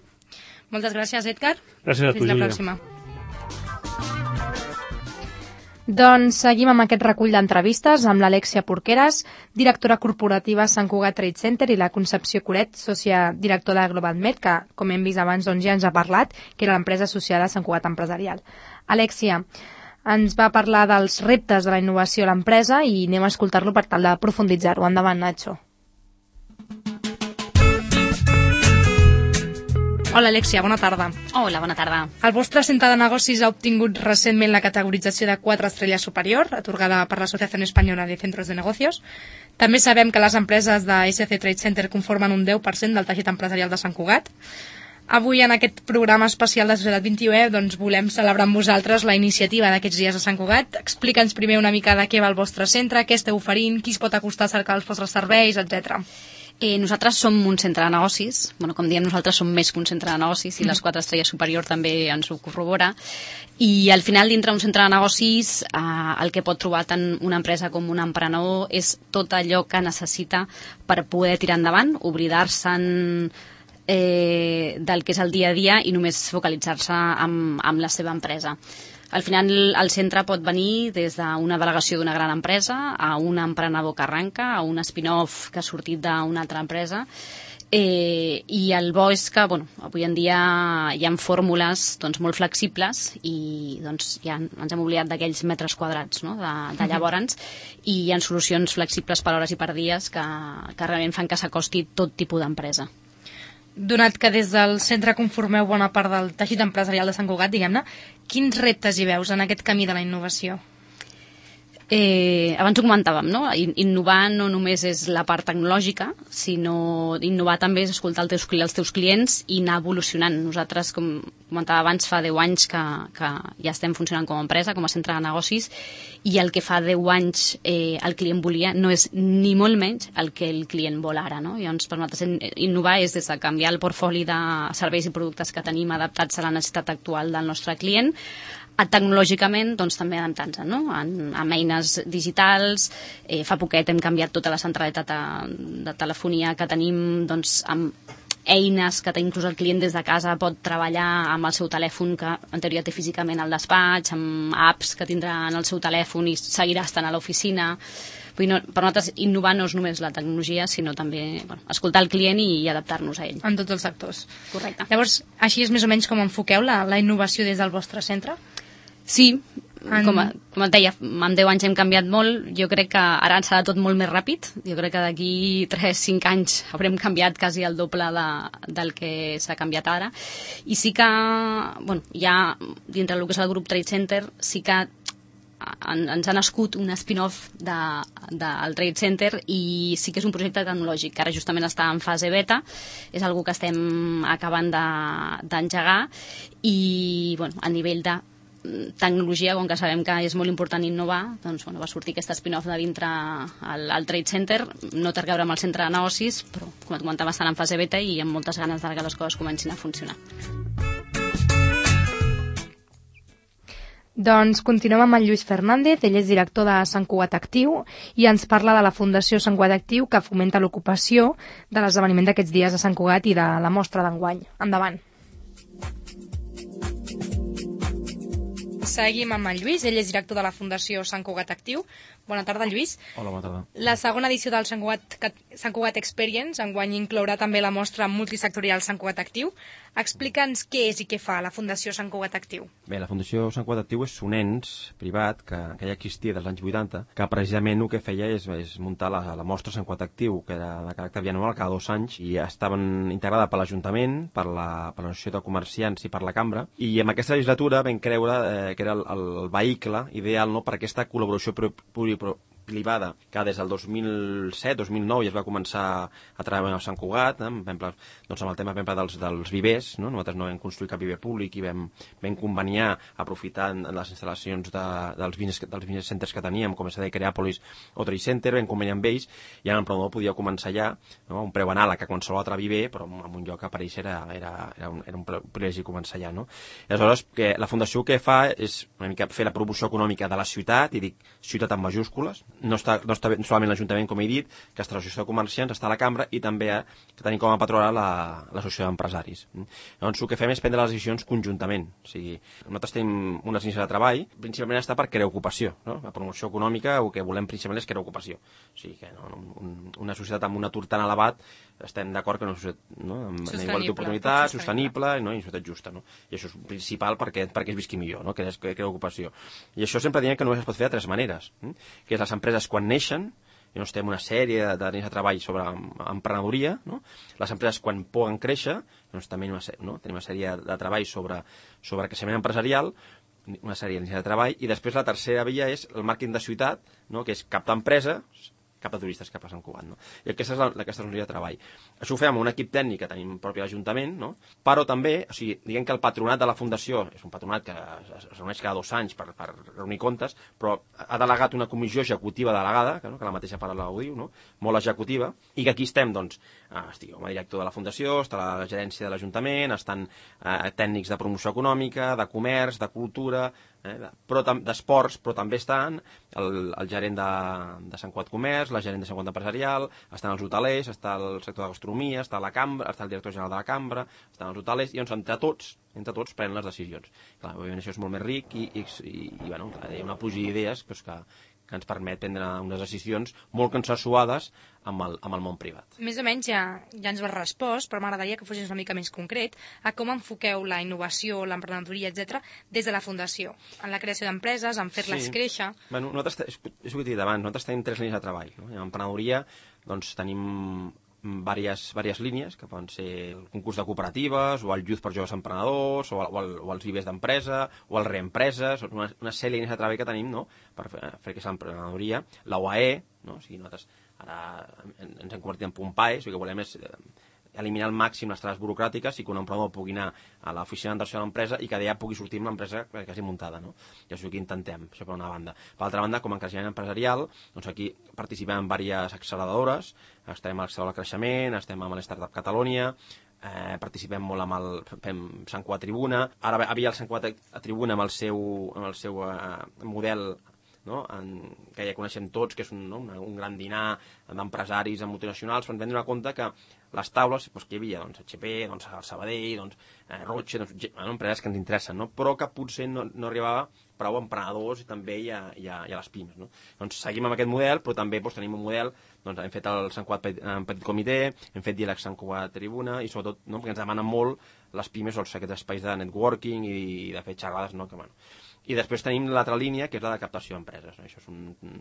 Moltes gràcies, Edgar.
Gràcies a tu,
Fins la
Júlia.
pròxima. Doncs seguim amb aquest recull d'entrevistes amb l'Alexia Porqueras, directora corporativa Sant Cugat Trade Center, i la Concepció Coret, sòcia directora de GlobalMed, que, com hem vist abans, doncs ja ens ha parlat, que era l'empresa associada a Sant Cugat Empresarial. Alexia, ens va parlar dels reptes de la innovació a l'empresa i anem a escoltar-lo per tal de profunditzar-ho. Endavant, Nacho. Hola, Alexia, bona tarda.
Hola, bona tarda.
El vostre centre de negocis ha obtingut recentment la categorització de quatre estrelles superior, atorgada per l'Associació Espanyola de Centros de Negocios. També sabem que les empreses de S C Trade Center conformen un deu per cent del teixit empresarial de Sant Cugat. Avui, en aquest programa especial de Societat vint i u, doncs, volem celebrar amb vosaltres la iniciativa d'aquests dies a Sant Cugat. Explica'ns primer una mica de què va el vostre centre, què esteu oferint, qui es pot acostar a cercar els vostres serveis, etcètera.
Eh, nosaltres som un centre de negocis, bueno, com diem nosaltres som més que un centre de negocis i les quatre estrelles superior també ens ho corrobora, i al final dintre d'un centre de negocis eh, el que pot trobar tant una empresa com un emprenedor és tot allò que necessita per poder tirar endavant, oblidar-se'n eh, del que és el dia a dia i només focalitzar-se amb, amb la seva empresa. Al final el centre pot venir des d'una delegació d'una gran empresa a un emprenedor que arranca, a un spin-off que ha sortit d'una altra empresa, eh, i el bo és que bueno, avui en dia hi ha fórmules doncs, molt flexibles i doncs, ja ens hem oblidat d'aquells metres quadrats, no? de, de llavors, i hi ha solucions flexibles per hores i per dies que, que realment fan que s'acosti tot tipus d'empresa.
Donat que des del centre conformeu bona part del teixit empresarial de Sant Cugat, diguem-ne, quins reptes hi veus en aquest camí de la innovació?
Eh, abans ho comentàvem, no? Innovar no només és la part tecnològica, sinó innovar també és escoltar els teus, els teus clients i anar evolucionant. Nosaltres, com comentava abans, fa deu anys que, que ja estem funcionant com a empresa, com a centre de negocis, i el que fa deu anys eh, el client volia no és ni molt menys el que el client vol ara, no? Llavors, per nosaltres, innovar és des de canviar el portfoli de serveis i productes que tenim adaptats a la necessitat actual del nostre client, a tecnològicament doncs, també adaptant-se, no? En, amb eines digitals. Eh, fa poquet hem canviat tota la centralitat de, de telefonia que tenim doncs, amb
eines que inclús el client des de casa pot treballar amb el seu telèfon, que en teoria té físicament al despatx, amb apps que tindrà en el seu telèfon i seguirà estant a l'oficina. Vull dir, no, per nosaltres innovar no és només la tecnologia, sinó també bueno, escoltar el client i, i adaptar-nos a ell.
En tots els sectors.
Correcte.
Llavors, així és més o menys com enfoqueu la, la innovació des del vostre centre?
Sí,
en...
com, com et deia, en deu anys hem canviat molt, jo crec que ara serà tot molt més ràpid, jo crec que d'aquí tres cinc anys haurem canviat quasi el doble de, del que s'ha canviat ara, i sí que, bueno, ja dintre del que és el grup Trade Center, sí que en, ens ha nascut un spin-off del de, de Trade Center i sí que és un projecte tecnològic, que ara justament està en fase beta, és algo que estem acabant d'engegar de, i, bueno, a nivell de tecnologia, com que sabem que és molt important innovar, doncs bueno, va sortir aquest spin-off de dintre al, al Trade Center, no té a veure amb el centre de negocis, però com et comentava estan en fase beta i amb moltes ganes de que les coses comencin a funcionar.
Doncs continuem amb en Lluís Fernández, ell és director de Sant Cugat Actiu i ens parla de la Fundació Sant Cugat Actiu que fomenta l'ocupació de l'esdeveniment d'aquests dies a Sant Cugat i de la mostra d'enguany. Endavant. Seguim amb en Lluís, ell és director de la Fundació Sant Cugat Actiu. Bona tarda, Lluís.
Hola, bona tarda.
La segona edició del Sant Cugat, Sant Cugat Experience enguany inclourà també la mostra multisectorial Sant Cugat Actiu. Explica'ns què és i què fa la Fundació Sant Cugat Actiu.
Bé, la Fundació Sant Cugat Actiu és un ens privat que, que ja existia dels anys vuitanta, que precisament el que feia és, és muntar la, la mostra Sant Cugat Actiu, que era de caràcter bianual cada dos anys, i estaven integrada per l'Ajuntament, per l'Associació de Comerciants i per la Cambra, i en aquesta legislatura vam creure eh, que era el, el vehicle ideal, no?, per aquesta col·laboració privada, que des del dos mil set dos mil nou ja es va començar a treballar a Sant Cugat, eh? exemple, doncs amb el tema exemple, dels, dels vivers, no? Nosaltres no vam construir cap viver públic i vam, vam conveniar, aprofitant les instal·lacions de, dels, business, dels business centers que teníem, com és a dir, Creàpolis o Trade Center, vam conveniar amb ells, i ara l'emprenedor podia començar ja, no? Un preu anàleg a qualsevol altre viver, però en un lloc que apareix era, era, era, un, era un privilegi començar ja. No? I aleshores, que la Fundació que fa és una mica fer la promoció econòmica de la ciutat, i dic ciutat amb majúscules, no està, no està solament l'Ajuntament, com he dit, que està l'Associació de Comerciants, està a la Cambra, i també eh, que tenim com a patrona l'Associació d'Empresaris. Llavors, el que fem és prendre les decisions conjuntament. O sigui, nosaltres tenim unes iniciatives de treball, principalment està per crear ocupació. No? La promoció econòmica, el que volem principalment és crear ocupació. O sigui, que no, un, una societat amb un atur tan elevat, estem d'acord que no és no? amb igualtat d'oportunitats, sostenible, no? I una societat justa. No? I això és principal perquè, perquè es visqui millor, no? que és crear ocupació. I això sempre diem que només es pot fer de tres maneres, eh? que és les empreses quan neixen, i doncs tenim una sèrie de línies de treball sobre emprenedoria, no? Les empreses quan poden créixer, doncs també no? tenim una sèrie de treball sobre, sobre creixement empresarial, una sèrie de línies de treball, i després la tercera via és el màrqueting de ciutat, no? que és captar empreses, cap a turistes que passen Cugat. No? I aquesta és la, aquesta és la línia de treball. Això ho fem amb un equip tècnic que tenim propi a l'Ajuntament, no? Però també, o sigui, diguem que el patronat de la Fundació és un patronat que es reuneix cada dos anys per, per reunir comptes, però ha delegat una comissió executiva delegada, que, no? que la mateixa paraula ho diu, no? Molt executiva, i que aquí estem, doncs, eh, estic com a director de la Fundació, està la gerència de l'Ajuntament, estan eh, tècnics de promoció econòmica, de comerç, de cultura, eh, d'esports, però també estan el, el gerent de, de Sant Cugat Comerç, la gerent de Sant Cugat Empresarial, estan els hotelers, està el sector de gastronomia, està la Cambra, està el director general de la Cambra, estan els hotelers, i doncs entre tots, entre tots prenen les decisions. Clar, òbviament això és molt més ric i, i, i, i bueno, hi ha una pluja d'idees doncs, que, que ens permet prendre unes decisions molt consensuades amb el, amb el món privat.
Més o menys ja, ja ens ho has respost, però m'agradaria que fossis una mica més concret a com enfoqueu la innovació, l'emprenedoria, etcètera, des de la Fundació, en la creació d'empreses, en fer-les sí. créixer.
Bueno, nosaltres, és, és el que he dit abans, nosaltres tenim tres línies de treball. No? En emprenedoria doncs, tenim Vàries, vàries línies, que poden ser el concurs de cooperatives, o el Youth per joves emprenedors, o, el, o, el, o els vivers d'empresa, o el reempreses, una, una sèrie de línies de treball que tenim, no?, per fer, fer aquesta emprenedoria. La U A E, no? O sigui, nosaltres ara ens hem convertit en punt P A E, o sigui, que volem és eh, eliminar al màxim les traves burocràtiques i que un emprenedor pugui anar a l'oficina d'inversió de l'empresa i que d'allà pugui sortir amb l'empresa quasi muntada, no? I això és el que intentem, això per una banda. Per l'altra banda, com a creixement empresarial, doncs aquí participem en diverses acceleradores, estem a l'accelerador de creixement, estem amb l'Startup Catalunya, eh, participem molt amb el fem Sant Cugat Tribuna, ara havia el Sant Cugat Tribuna amb el seu, amb el seu eh, model no? En, que ja coneixem tots, que és un, no? un, un gran dinar d'empresaris multinacionals, ens vam donar compte que les taules doncs, que hi havia, doncs, H P, doncs, el Sabadell, doncs, eh, Roche, doncs, bueno, empreses que ens interessen, no? Però que potser no, no arribava prou emprenedors i també hi ha, hi ha, hi ha les pimes. No? Doncs seguim amb aquest model, però també doncs, tenim un model, doncs, hem fet el Sant Cugat en Petit Comitè, hem fet Diàleg Sant Cugat Tribuna, i sobretot no? perquè ens demanen molt les pimes, doncs, aquests espais de networking i de fer xerrades, no? que, bueno. I després tenim l'altra línia, que és la de captació d'empreses. No? Això és un,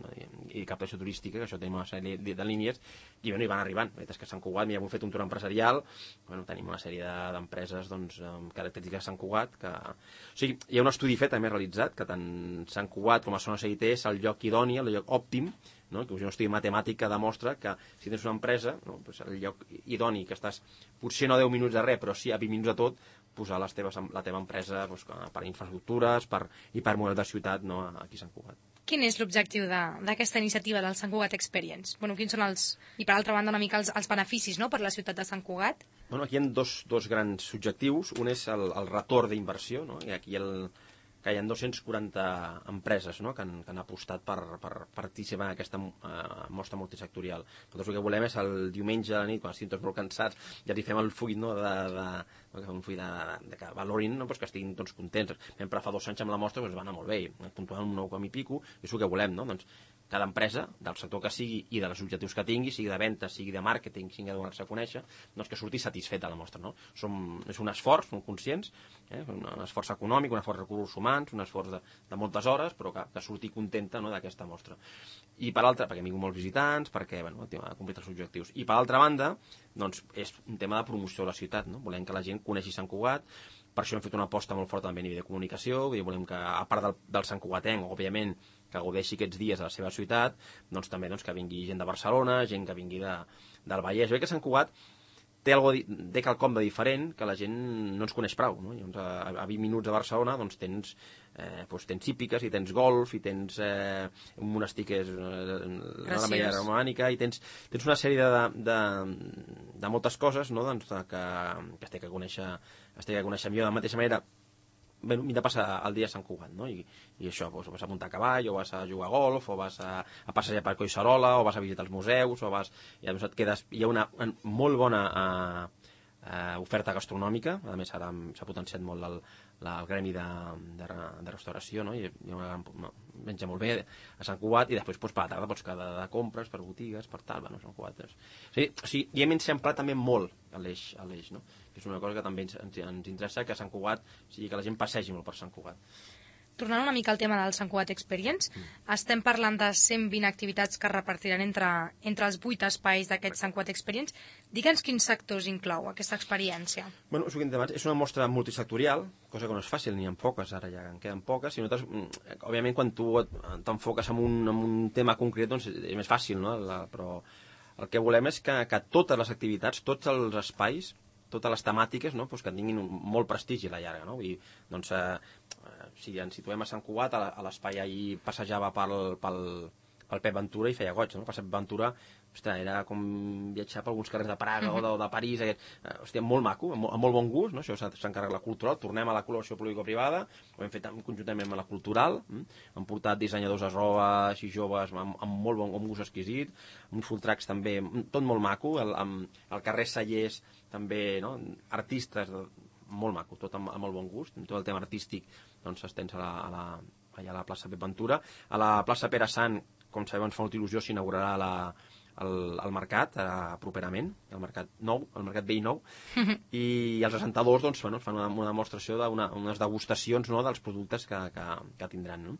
i captació turística, que això tenim una sèrie de, de línies, i, bueno, i van arribant. La veritat és que a Sant Cugat, mira, hem fet un tour empresarial, bueno, tenim una sèrie d'empreses doncs, amb característiques de Sant Cugat, que... O sigui, hi ha un estudi fet, també realitzat, que tant Sant Cugat com a zona C I T és el lloc idoni, el lloc òptim, no? que un estudi matemàtic que demostra que si tens una empresa, no? pues el lloc idoni, que estàs potser no deu minuts de res, però sí a vint minuts de tot, posar les teves, la teva empresa doncs, per infraestructures per, i per model de ciutat no, aquí a Sant Cugat.
Quin és l'objectiu d'aquesta iniciativa del Sant Cugat Experience? Bueno, quins són els, i per altra banda una mica els, els beneficis no, per la ciutat de Sant Cugat?
Bueno, aquí hi ha dos, dos grans objectius. Un és el, el retorn d'inversió, no? I aquí el, que hi ha dos-cents quaranta empreses no? que, han, que han apostat per, per participar en aquesta uh, mostra multisectorial. Nosaltres el que volem és el diumenge a la nit, quan estiguin tots molt cansats, ja li fem el full no? de, de, de, un full de, de, de que valorin, no? pues que estiguin tots contents. Sempre fa dos anys amb la mostra doncs va anar molt bé, puntuant un nou com i pico, i és el que volem, no? Doncs cada empresa, del sector que sigui i dels objectius que tingui, sigui de venda, sigui de màrqueting, sigui de donar-se a conèixer, doncs que surti satisfet de la mostra. No? Som, és un esforç, som conscients, eh? un esforç econòmic, un esforç de recursos humans, un esforç de, de moltes hores, però que, que surti contenta no? d'aquesta mostra. I per altra, perquè han vingut molts visitants, perquè bueno, ha complit els objectius. I per altra banda, doncs, és un tema de promoció de la ciutat. No? Volem que la gent coneixi Sant Cugat, per això hem fet una aposta molt forta també a nivell de comunicació, vull dir, volem que, a part del, del Sant Cugatenc, òbviament, que gaudeixi aquests dies a la seva ciutat, doncs també doncs, que vingui gent de Barcelona, gent que vingui de, del Vallès. Jo crec que Sant Cugat té, algo, té quelcom de diferent que la gent no ens coneix prou. No? Llavors, a, a vint minuts de Barcelona doncs, tens, eh, doncs, tens hípiques, i tens golf, i tens eh, un monestir que és eh, la Mella Romànica, i tens, tens una sèrie de, de, de moltes coses no? doncs, que, que es té que conèixer, es té que conèixer millor. De la mateixa manera, bueno, m'he de passar el dia a Sant Cugat, no? I, i això, doncs, vas a muntar a cavall, o vas a jugar a golf, o vas a, a passejar per Collserola, o vas a visitar els museus, o vas... I doncs et quedes... Hi ha una, una molt bona uh, uh, oferta gastronòmica, a més ara s'ha potenciat molt el, la, el gremi de, de, de restauració, no? I hi ha una gran... menja molt bé a Sant Cugat, i després doncs, per la tarda pots quedar de, de compres, per botigues, per tal, bueno, Sant Cugat. És... O sigui, o sigui, hi hem eixamplat també molt a l'eix, a l'eix, no? És una cosa que també ens, ens, ens interessa, que Sant Cugat, o sigui, que la gent passegi molt per Sant Cugat.
Tornant una mica al tema del Sant Cugat Experience, mm. estem parlant de cent vint activitats que es repartiran entre, entre els vuit espais d'aquest Sant Cugat Experience. Digue'ns quins sectors inclou aquesta experiència.
Bueno, és, és una mostra multisectorial, cosa que no és fàcil, n'hi ha poques, ara ja en queden poques, i nosaltres, òbviament, quan tu t'enfoques en un, en un tema concret, doncs és més fàcil, no? La, però el que volem és que, que totes les activitats, tots els espais, totes les temàtiques, no? pues que tinguin un, molt prestigi a la llarga. No? I, doncs, eh, si ens situem a Sant Cugat, a l'espai ahir passejava pel, pel, pel Pep Ventura i feia goig. No? El Pep Ventura, hòstia, era com viatjar per alguns carrers de Praga mm-hmm. o, de, o de París, aquest, eh, hòstia, molt maco, amb, amb molt bon gust, no? Això s'encarrega la cultural, tornem a la col·laboració público-privada, ho hem fet conjuntament amb la cultural, hm? hem portat dissenyadors a roba, així joves, amb, amb molt bon amb gust exquisit, uns full tracks també, tot molt maco, el, amb, el carrer Sallés també, no? Artistes, molt maco, tot amb, amb molt bon gust, tot el tema artístic doncs s'estens a la, a la, allà a la plaça Pep Ventura. A la plaça Pere Sant, com sabeu, ens fa molta il·lusió, s'inaugurarà la, el, el mercat eh, properament, el mercat nou, el mercat vell nou, i els assentadors doncs, bueno, fan una, una demostració d'unes degustacions no, dels productes que, que, que tindran. No?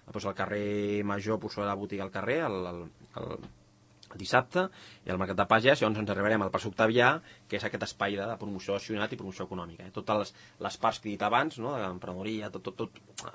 Després al carrer Major posarà la botiga al carrer, el, el, el el dissabte, i al Mercat de Pagès, llavors ens arribarem al Parc Octavià, que és aquest espai de, de promoció de ciutat i promoció econòmica. Eh? Totes les, les parts que he dit abans, no? de l'emprenedoria, tot, tot, tot,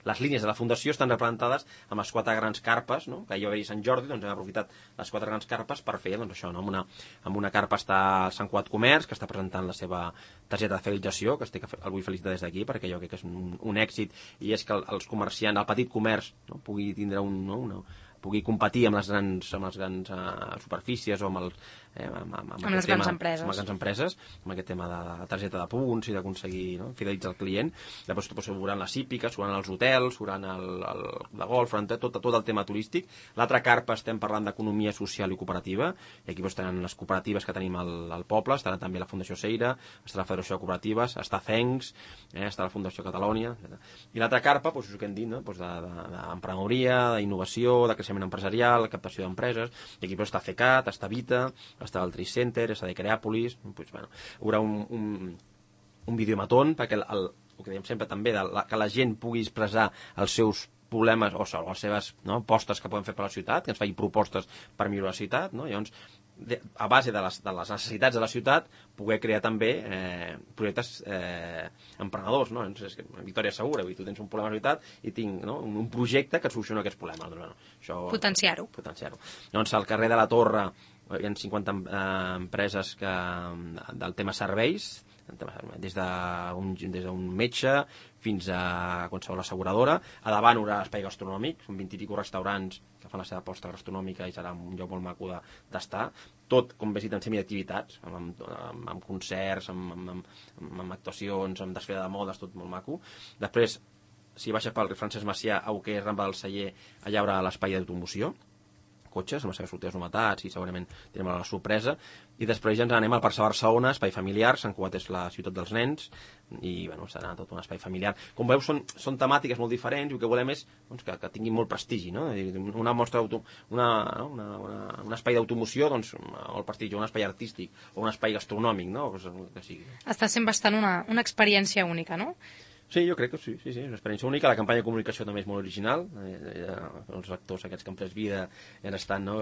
les línies de la Fundació estan representades amb les quatre grans carpes, no? que hi va haver Sant Jordi, doncs hem aprofitat les quatre grans carpes per fer doncs, això. No? Amb, una, amb una carpa està el Sant Cugat Comerç, que està presentant la seva targeta de fidelització, que estic, el vull felicitar des d'aquí, perquè jo crec que és un, un èxit, i és que els comerciants, el petit comerç, no? pugui tindre un... No? una, pugui competir amb les grans, amb les grans uh, superfícies o amb, el, eh, amb, amb, amb,
amb les grans
tema,
empreses.
amb les grans empreses, amb aquest tema de la targeta de punts i d'aconseguir, no, fidelitzar el client. Després doncs, s'obran les hípiques, s'obran els hotels, s'obran el, el, la golf, tot, tot el tema turístic. L'altra carpa estem parlant d'economia social i cooperativa, i aquí doncs, tenen les cooperatives que tenim al, al poble, estarà també la Fundació Seira, està la Federació de Cooperatives, està Cencs, eh, està la Fundació Catalònia, etcètera. I l'altra carpa, doncs, és el que hem dit, no? doncs d'emprenedoria, d'innovació, de creixement empresarial, de captació d'empreses, i aquí doncs, està CECAT, està Vita, està el Trade Center, està de Creàpolis, doncs, bueno, hi haurà un, un, un videomatón perquè el, el, el que dèiem sempre també, de la, que la gent pugui expressar els seus problemes o, o les seves no, postes que poden fer per la ciutat, que ens facin propostes per millorar la ciutat, no? Llavors, de, a base de les, de les necessitats de la ciutat, poder crear també eh, projectes eh, emprenedors, no? Llavors, és que Victòria Segura, tu tens un problema a la ciutat i tinc no, un, un projecte que et soluciona aquests problemes. Doncs, bueno, això,
potenciar-ho.
Potenciar-ho. Llavors, al carrer de la Torre hi ha cinquanta eh, empreses que, del tema serveis, des d'un des d'un metge fins a qualsevol asseguradora. A davant hi haurà espai gastronòmic, són vint i pico restaurants que fan la seva aposta gastronòmica i serà un lloc molt maco d'estar. Tot com visiten semiactivitats, amb, amb, amb, amb concerts, amb, amb, amb, amb actuacions, amb desfilada de modes, tot molt maco. Després, si baixes pel Francesc Macià, a Uquer, Rambla del Celler, allà hi haurà l'espai d'automoció, cotxes, amb les seves sortides novetats i segurament tindrem la sorpresa, i després ja ens anem al Parc de Barcelona, espai familiar, Sant Cugat és la ciutat dels nens, i bueno, serà tot un espai familiar. Com veus, són, són temàtiques molt diferents i el que volem és doncs, que, que tinguin molt prestigi, no? Una mostra una, una, una, un espai d'automoció, doncs, molt prestigi, un espai artístic o un espai gastronòmic, no? Que sigui.
Està sent bastant una, una experiència única, no?
Sí, jo crec que sí, sí, sí, és una experiència única. La campanya de comunicació també és molt original. Eh, els actors aquests que han pres vida ja estan, no,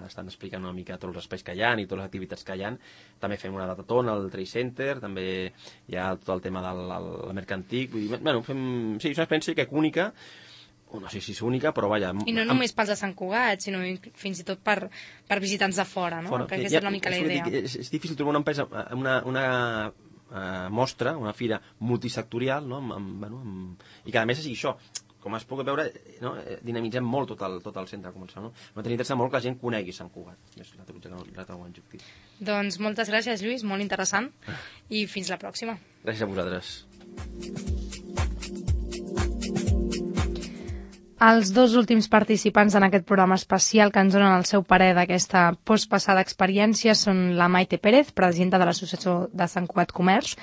estan explicant una mica tots els espais que hi ha i totes les activitats que hi ha. També fem una datatona al Trade Center, també hi ha tot el tema del el mercantic. Vull dir, bueno, fem, sí, és una experiència que és única, no sé si és única, però vaja...
I no només pels de Sant Cugat, sinó fins i tot per, per visitants de fora, no? Fora, que aquesta ja, és una mica la idea.
És, és difícil trobar una empresa, una... una Uh, mostra, una fira multisectorial, no? amb, amb, bueno, amb... i que a més és això, com es pot veure, no? Dinamitzem molt tot el, tot el centre comercial. No? M'ha interessa molt que la gent conegui Sant Cugat. És l'altre objectiu.
Doncs moltes gràcies, Lluís, molt interessant, i fins la pròxima.
Gràcies a vosaltres.
Els dos últims participants en aquest programa especial que ens donen el seu parer d'aquesta postpassada experiència són la Maite Pérez, presidenta de l'Associació de Sant Cugat Comerç,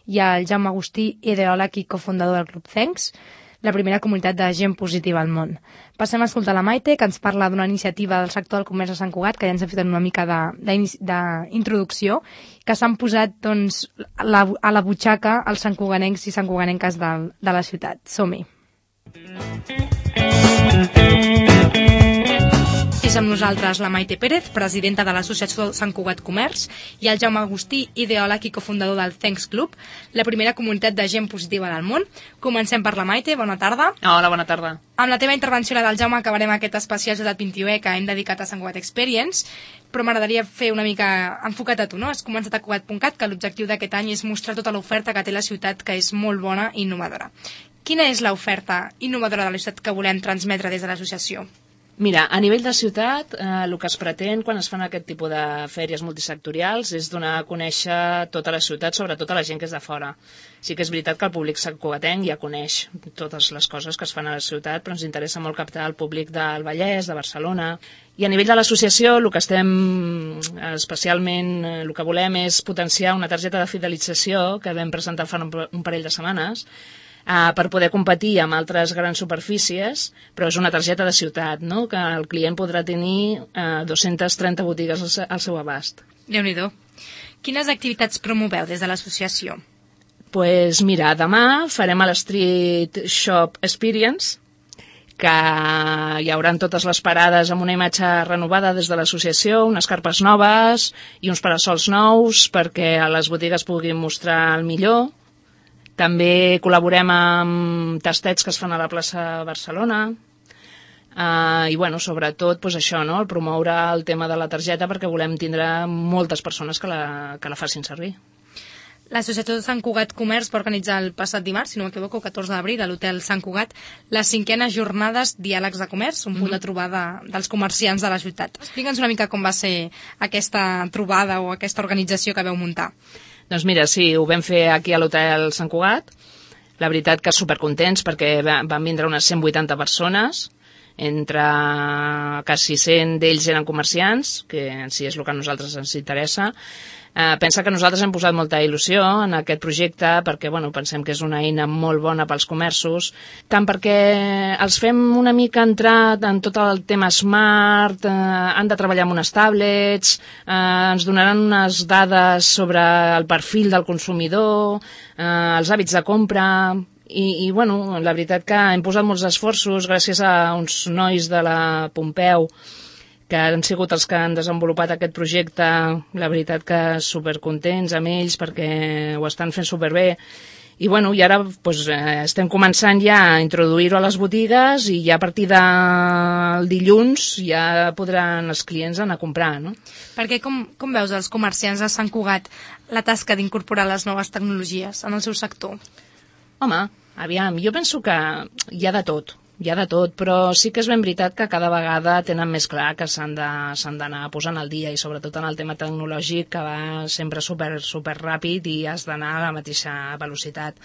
i el Jaume Agustí, ideòleg i cofundador del Club Cencs, la primera comunitat de gent positiva al món. Passem a escoltar la Maite, que ens parla d'una iniciativa del sector del comerç de Sant Cugat, que ja ens ha fet una mica d'introducció, que s'han posat doncs, la, a la butxaca els santcuganencs i santcuganenques de, de la ciutat. Som-hi. És amb nosaltres la Maite Pérez, presidenta de l'Associació Sant Cugat Comerç, i el Jaume Agustí, ideòleg i cofundador del Cencs Club, la primera comunitat de gent positiva del món. Comencem per la Maite, bona tarda.
Hola, bona tarda.
Amb la teva intervenció, la del Jaume, acabarem aquest especial Ciutat vint-i-u que hem dedicat a Sant Cugat Experience, però m'agradaria fer una mica enfocat a tu, no? Has començat a Cugat punt cat, que l'objectiu d'aquest any és mostrar tota l'oferta que té la ciutat, que és molt bona i innovadora. Quina és l'oferta innovadora de la ciutat que volem transmetre des de l'associació?
Mira, a nivell de ciutat, eh, el que es pretén quan es fan aquest tipus de fèries multisectorials és donar a conèixer tota la ciutat, sobretot a la gent que és de fora. Sí que és veritat que el públic santcugatenc ja coneix totes les coses que es fan a la ciutat, però ens interessa molt captar el públic del Vallès, de Barcelona. I a nivell de l'associació, el que estem especialment, el que volem és potenciar una targeta de fidelització que vam presentar fa un parell de setmanes, Uh, per poder competir amb altres grans superfícies, però és una targeta de ciutat, no? Que el client podrà tenir uh, dues-centes trenta botigues al, al seu abast.
Déu-n'hi-do. Quines activitats promoveu des de l'associació?
Pues mira, demà farem a l'Street Shop Experience, que hi haurà totes les parades amb una imatge renovada des de l'associació, unes carpes noves i uns parasols nous perquè a les botigues puguin mostrar el millor. També col·laborem amb tastets que es fan a la plaça Barcelona uh, i, bueno, sobretot, pues això, no? El promoure el tema de la targeta perquè volem tindre moltes persones que la, que la facin servir.
L'Associació de Sant Cugat Comerç va organitzar el passat dimarts, si no m'equivoco, catorze d'abril, a l'Hotel Sant Cugat, les cinquenes jornades Diàlegs de Comerç, un punt de trobada dels comerciants de la ciutat. Explica'ns una mica com va ser aquesta trobada o aquesta organització que vau muntar.
Doncs mira, sí, ho vam fer aquí a l'Hotel Sant Cugat. La veritat que supercontents perquè van vindre unes cent vuitanta persones, entre quasi cent d'ells eren comerciants, que en si és el que a nosaltres ens interessa. Eh, pensa que nosaltres hem posat molta il·lusió en aquest projecte perquè bueno, pensem que és una eina molt bona pels comerços, tant perquè els fem una mica entrar en tot el tema smart, eh, han de treballar amb unes tablets, eh, ens donaran unes dades sobre el perfil del consumidor, eh, els hàbits de compra. I, i bueno, la veritat que hem posat molts esforços gràcies a uns nois de la Pompeu que han sigut els que han desenvolupat aquest projecte, la veritat que supercontents amb ells perquè ho estan fent superbé. I bueno, i ara pues, eh, estem començant ja a introduir-ho a les botigues i ja a partir del dilluns ja podran els clients anar a comprar, no?
Perquè com, com veus els comerciants de Sant Cugat la tasca d'incorporar les noves tecnologies en el seu sector?
Home, aviam, jo penso que hi ha de tot. Hi ha de tot, però sí que és ben veritat que cada vegada tenen més clar que s'han de, s'han d'anar posant al dia i sobretot en el tema tecnològic que va sempre super, super ràpid i has d'anar a la mateixa velocitat.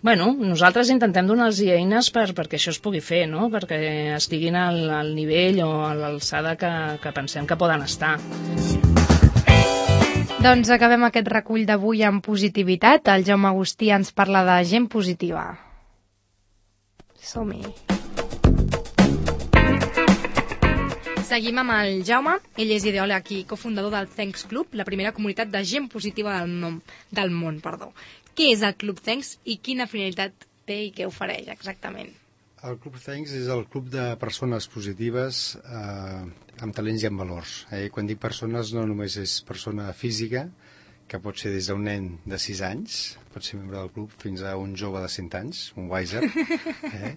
Bueno, nosaltres intentem donar-los eines per, perquè això es pugui fer, no? Perquè estiguin al, al nivell o a l'alçada que, que pensem que poden estar.
Doncs acabem aquest recull d'avui amb positivitat. El Jaume Agustí ens parla de gent positiva. Som-hi. Seguim amb el Jaume. Ell és ideòleg i cofundador del Thanks Club, la primera comunitat de gent positiva del, nom, del món. Perdó. Què és el Club Thanks i quina finalitat té i què ofereix exactament?
El Club Thanks és el club de persones positives eh, amb talents i amb valors. Eh? Quan dic persones no només és persona física, que pot ser des d'un nen de sis anys, pot ser membre del club, fins a un jove de cent anys, un wiser, eh?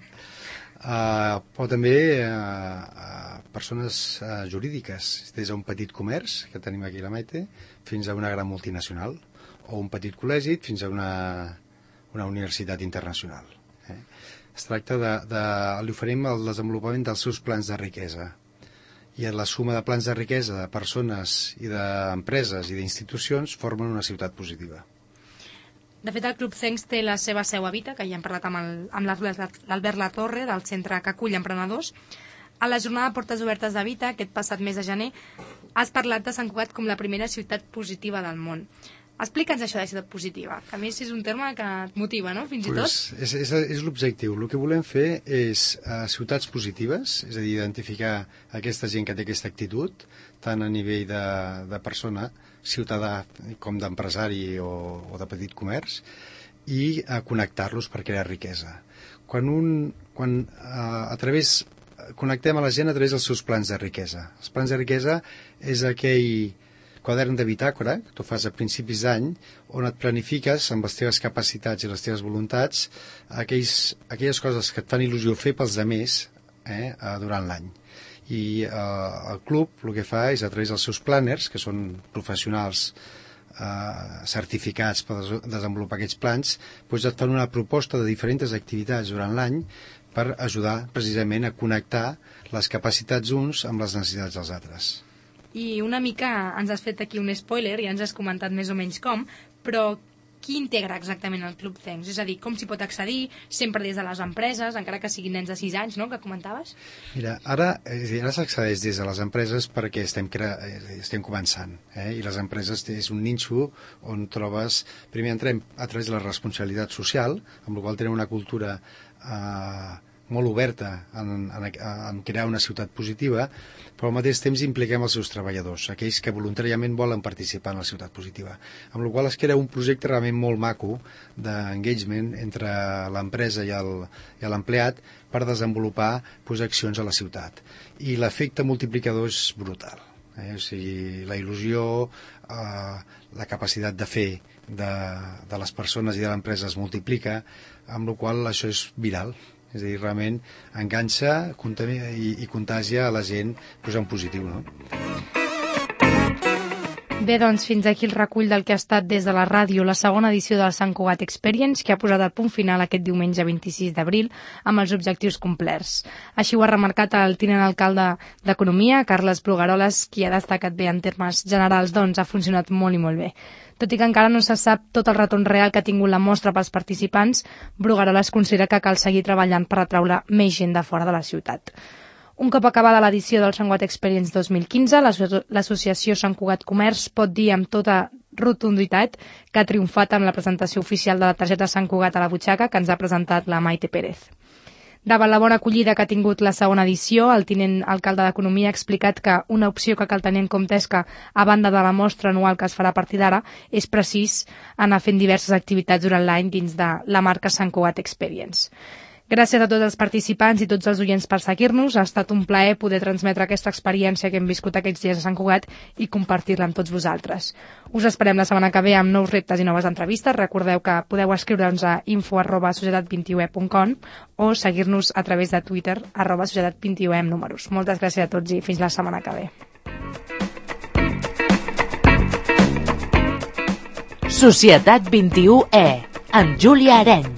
uh, però també uh, uh, persones uh, jurídiques, des d'un petit comerç, que tenim aquí a la Maite, fins a una gran multinacional, o un petit col·legi fins a una, una universitat internacional. Eh? Es tracta de, de, li oferim el desenvolupament dels seus plans de riquesa, i la suma de plans de riquesa de persones i d'empreses i d'institucions formen una ciutat positiva.
De fet, el Club Thanks té la seva seu a Vita, que ja hem parlat amb, el, amb l'Albert Latorre, del centre que acull emprenedors. A la jornada de Portes Obertes de Vita, aquest passat mes de gener, has parlat de Sant Cugat com la primera ciutat positiva del món. Explica'ns això de ciutat positiva, que a més és un terme que et motiva, no?, fins i tot.
Pues és és, és l'objectiu. El que volem fer és uh, ciutats positives, és a dir, identificar aquesta gent que té aquesta actitud, tant a nivell de, de persona, ciutadà com d'empresari o, o de petit comerç, i uh, connectar-los per crear riquesa. Quan, un, quan uh, a través, connectem a la gent a través dels seus plans de riquesa. Els plans de riquesa és aquell quadern de bitàcora, que tu fas a principis d'any, on et planifiques amb les teves capacitats i les teves voluntats aquells, aquelles coses que et fan il·lusió fer pels altres eh, durant l'any. I eh, el club el que fa és, a través dels seus planners, que són professionals eh, certificats per des desenvolupar aquests plans, doncs et fan una proposta de diferents activitats durant l'any per ajudar precisament a connectar les capacitats uns amb les necessitats dels altres.
I una mica ens has fet aquí un spoiler, ja ens has comentat més o menys com, però qui integra exactament el Club Thanks? És a dir, com s'hi pot accedir? Sempre des de les empreses, encara que siguin nens de sis anys, no?, que comentaves?
Mira, ara, ara s'accedeix des de les empreses perquè estem, estem començant, eh? I les empreses és un nínxol on trobes... Primer entrem a través de la responsabilitat social, amb la qual tenim una cultura eh, molt oberta en, en, en crear una ciutat positiva, però al mateix temps impliquem els seus treballadors, aquells que voluntàriament volen participar en la ciutat positiva, amb la qual es crea un projecte realment molt maco d'engagement entre l'empresa i l'empleat per desenvolupar pues, accions a la ciutat. I l'efecte multiplicador és brutal. Eh? O sigui, la il·lusió, eh, la capacitat de fer de, de les persones i de l'empresa es multiplica, amb la qual això és viral. És a dir, realment enganxa i, i contagia a la gent pues, en positiu, no?
Bé, doncs, fins aquí el recull del que ha estat des de la ràdio la segona edició del Sant Cugat Experience, que ha posat el punt final aquest diumenge vint-i-sis d'abril amb els objectius complerts. Així ho ha remarcat el tinent alcalde d'Economia, Carles Brugaroles, qui ha destacat bé en termes generals, doncs ha funcionat molt i molt bé. Tot i que encara no se sap tot el retorn real que ha tingut la mostra pels participants, Brugaroles considera que cal seguir treballant per atraure més gent de fora de la ciutat. Un cop acabada l'edició del Sant Cugat Experience dos mil quinze, l'associació Sant Cugat Comerç pot dir amb tota rotunditat que ha triomfat amb la presentació oficial de la targeta Sant Cugat a la butxaca que ens ha presentat la Maite Pérez. Davant la bona acollida que ha tingut la segona edició, el tinent alcalde d'Economia ha explicat que una opció que cal tenir en compte és que, a banda de la mostra anual que es farà a partir d'ara, és precís anar fent diverses activitats durant l'any dins de la marca Sant Cugat Experience. Gràcies a tots els participants i tots els oients per seguir-nos. Ha estat un plaer poder transmetre aquesta experiència que hem viscut aquests dies a Sant Cugat i compartir-la amb tots vosaltres. Us esperem la setmana que ve amb nous reptes i noves entrevistes. Recordeu que podeu escriure'ns a info arroba societat vint i u e punt com o seguir-nos a través de Twitter arroba societat vint i u e amb números. Moltes gràcies a tots i fins la setmana que ve.
Societat vint i u E amb Júlia Areny.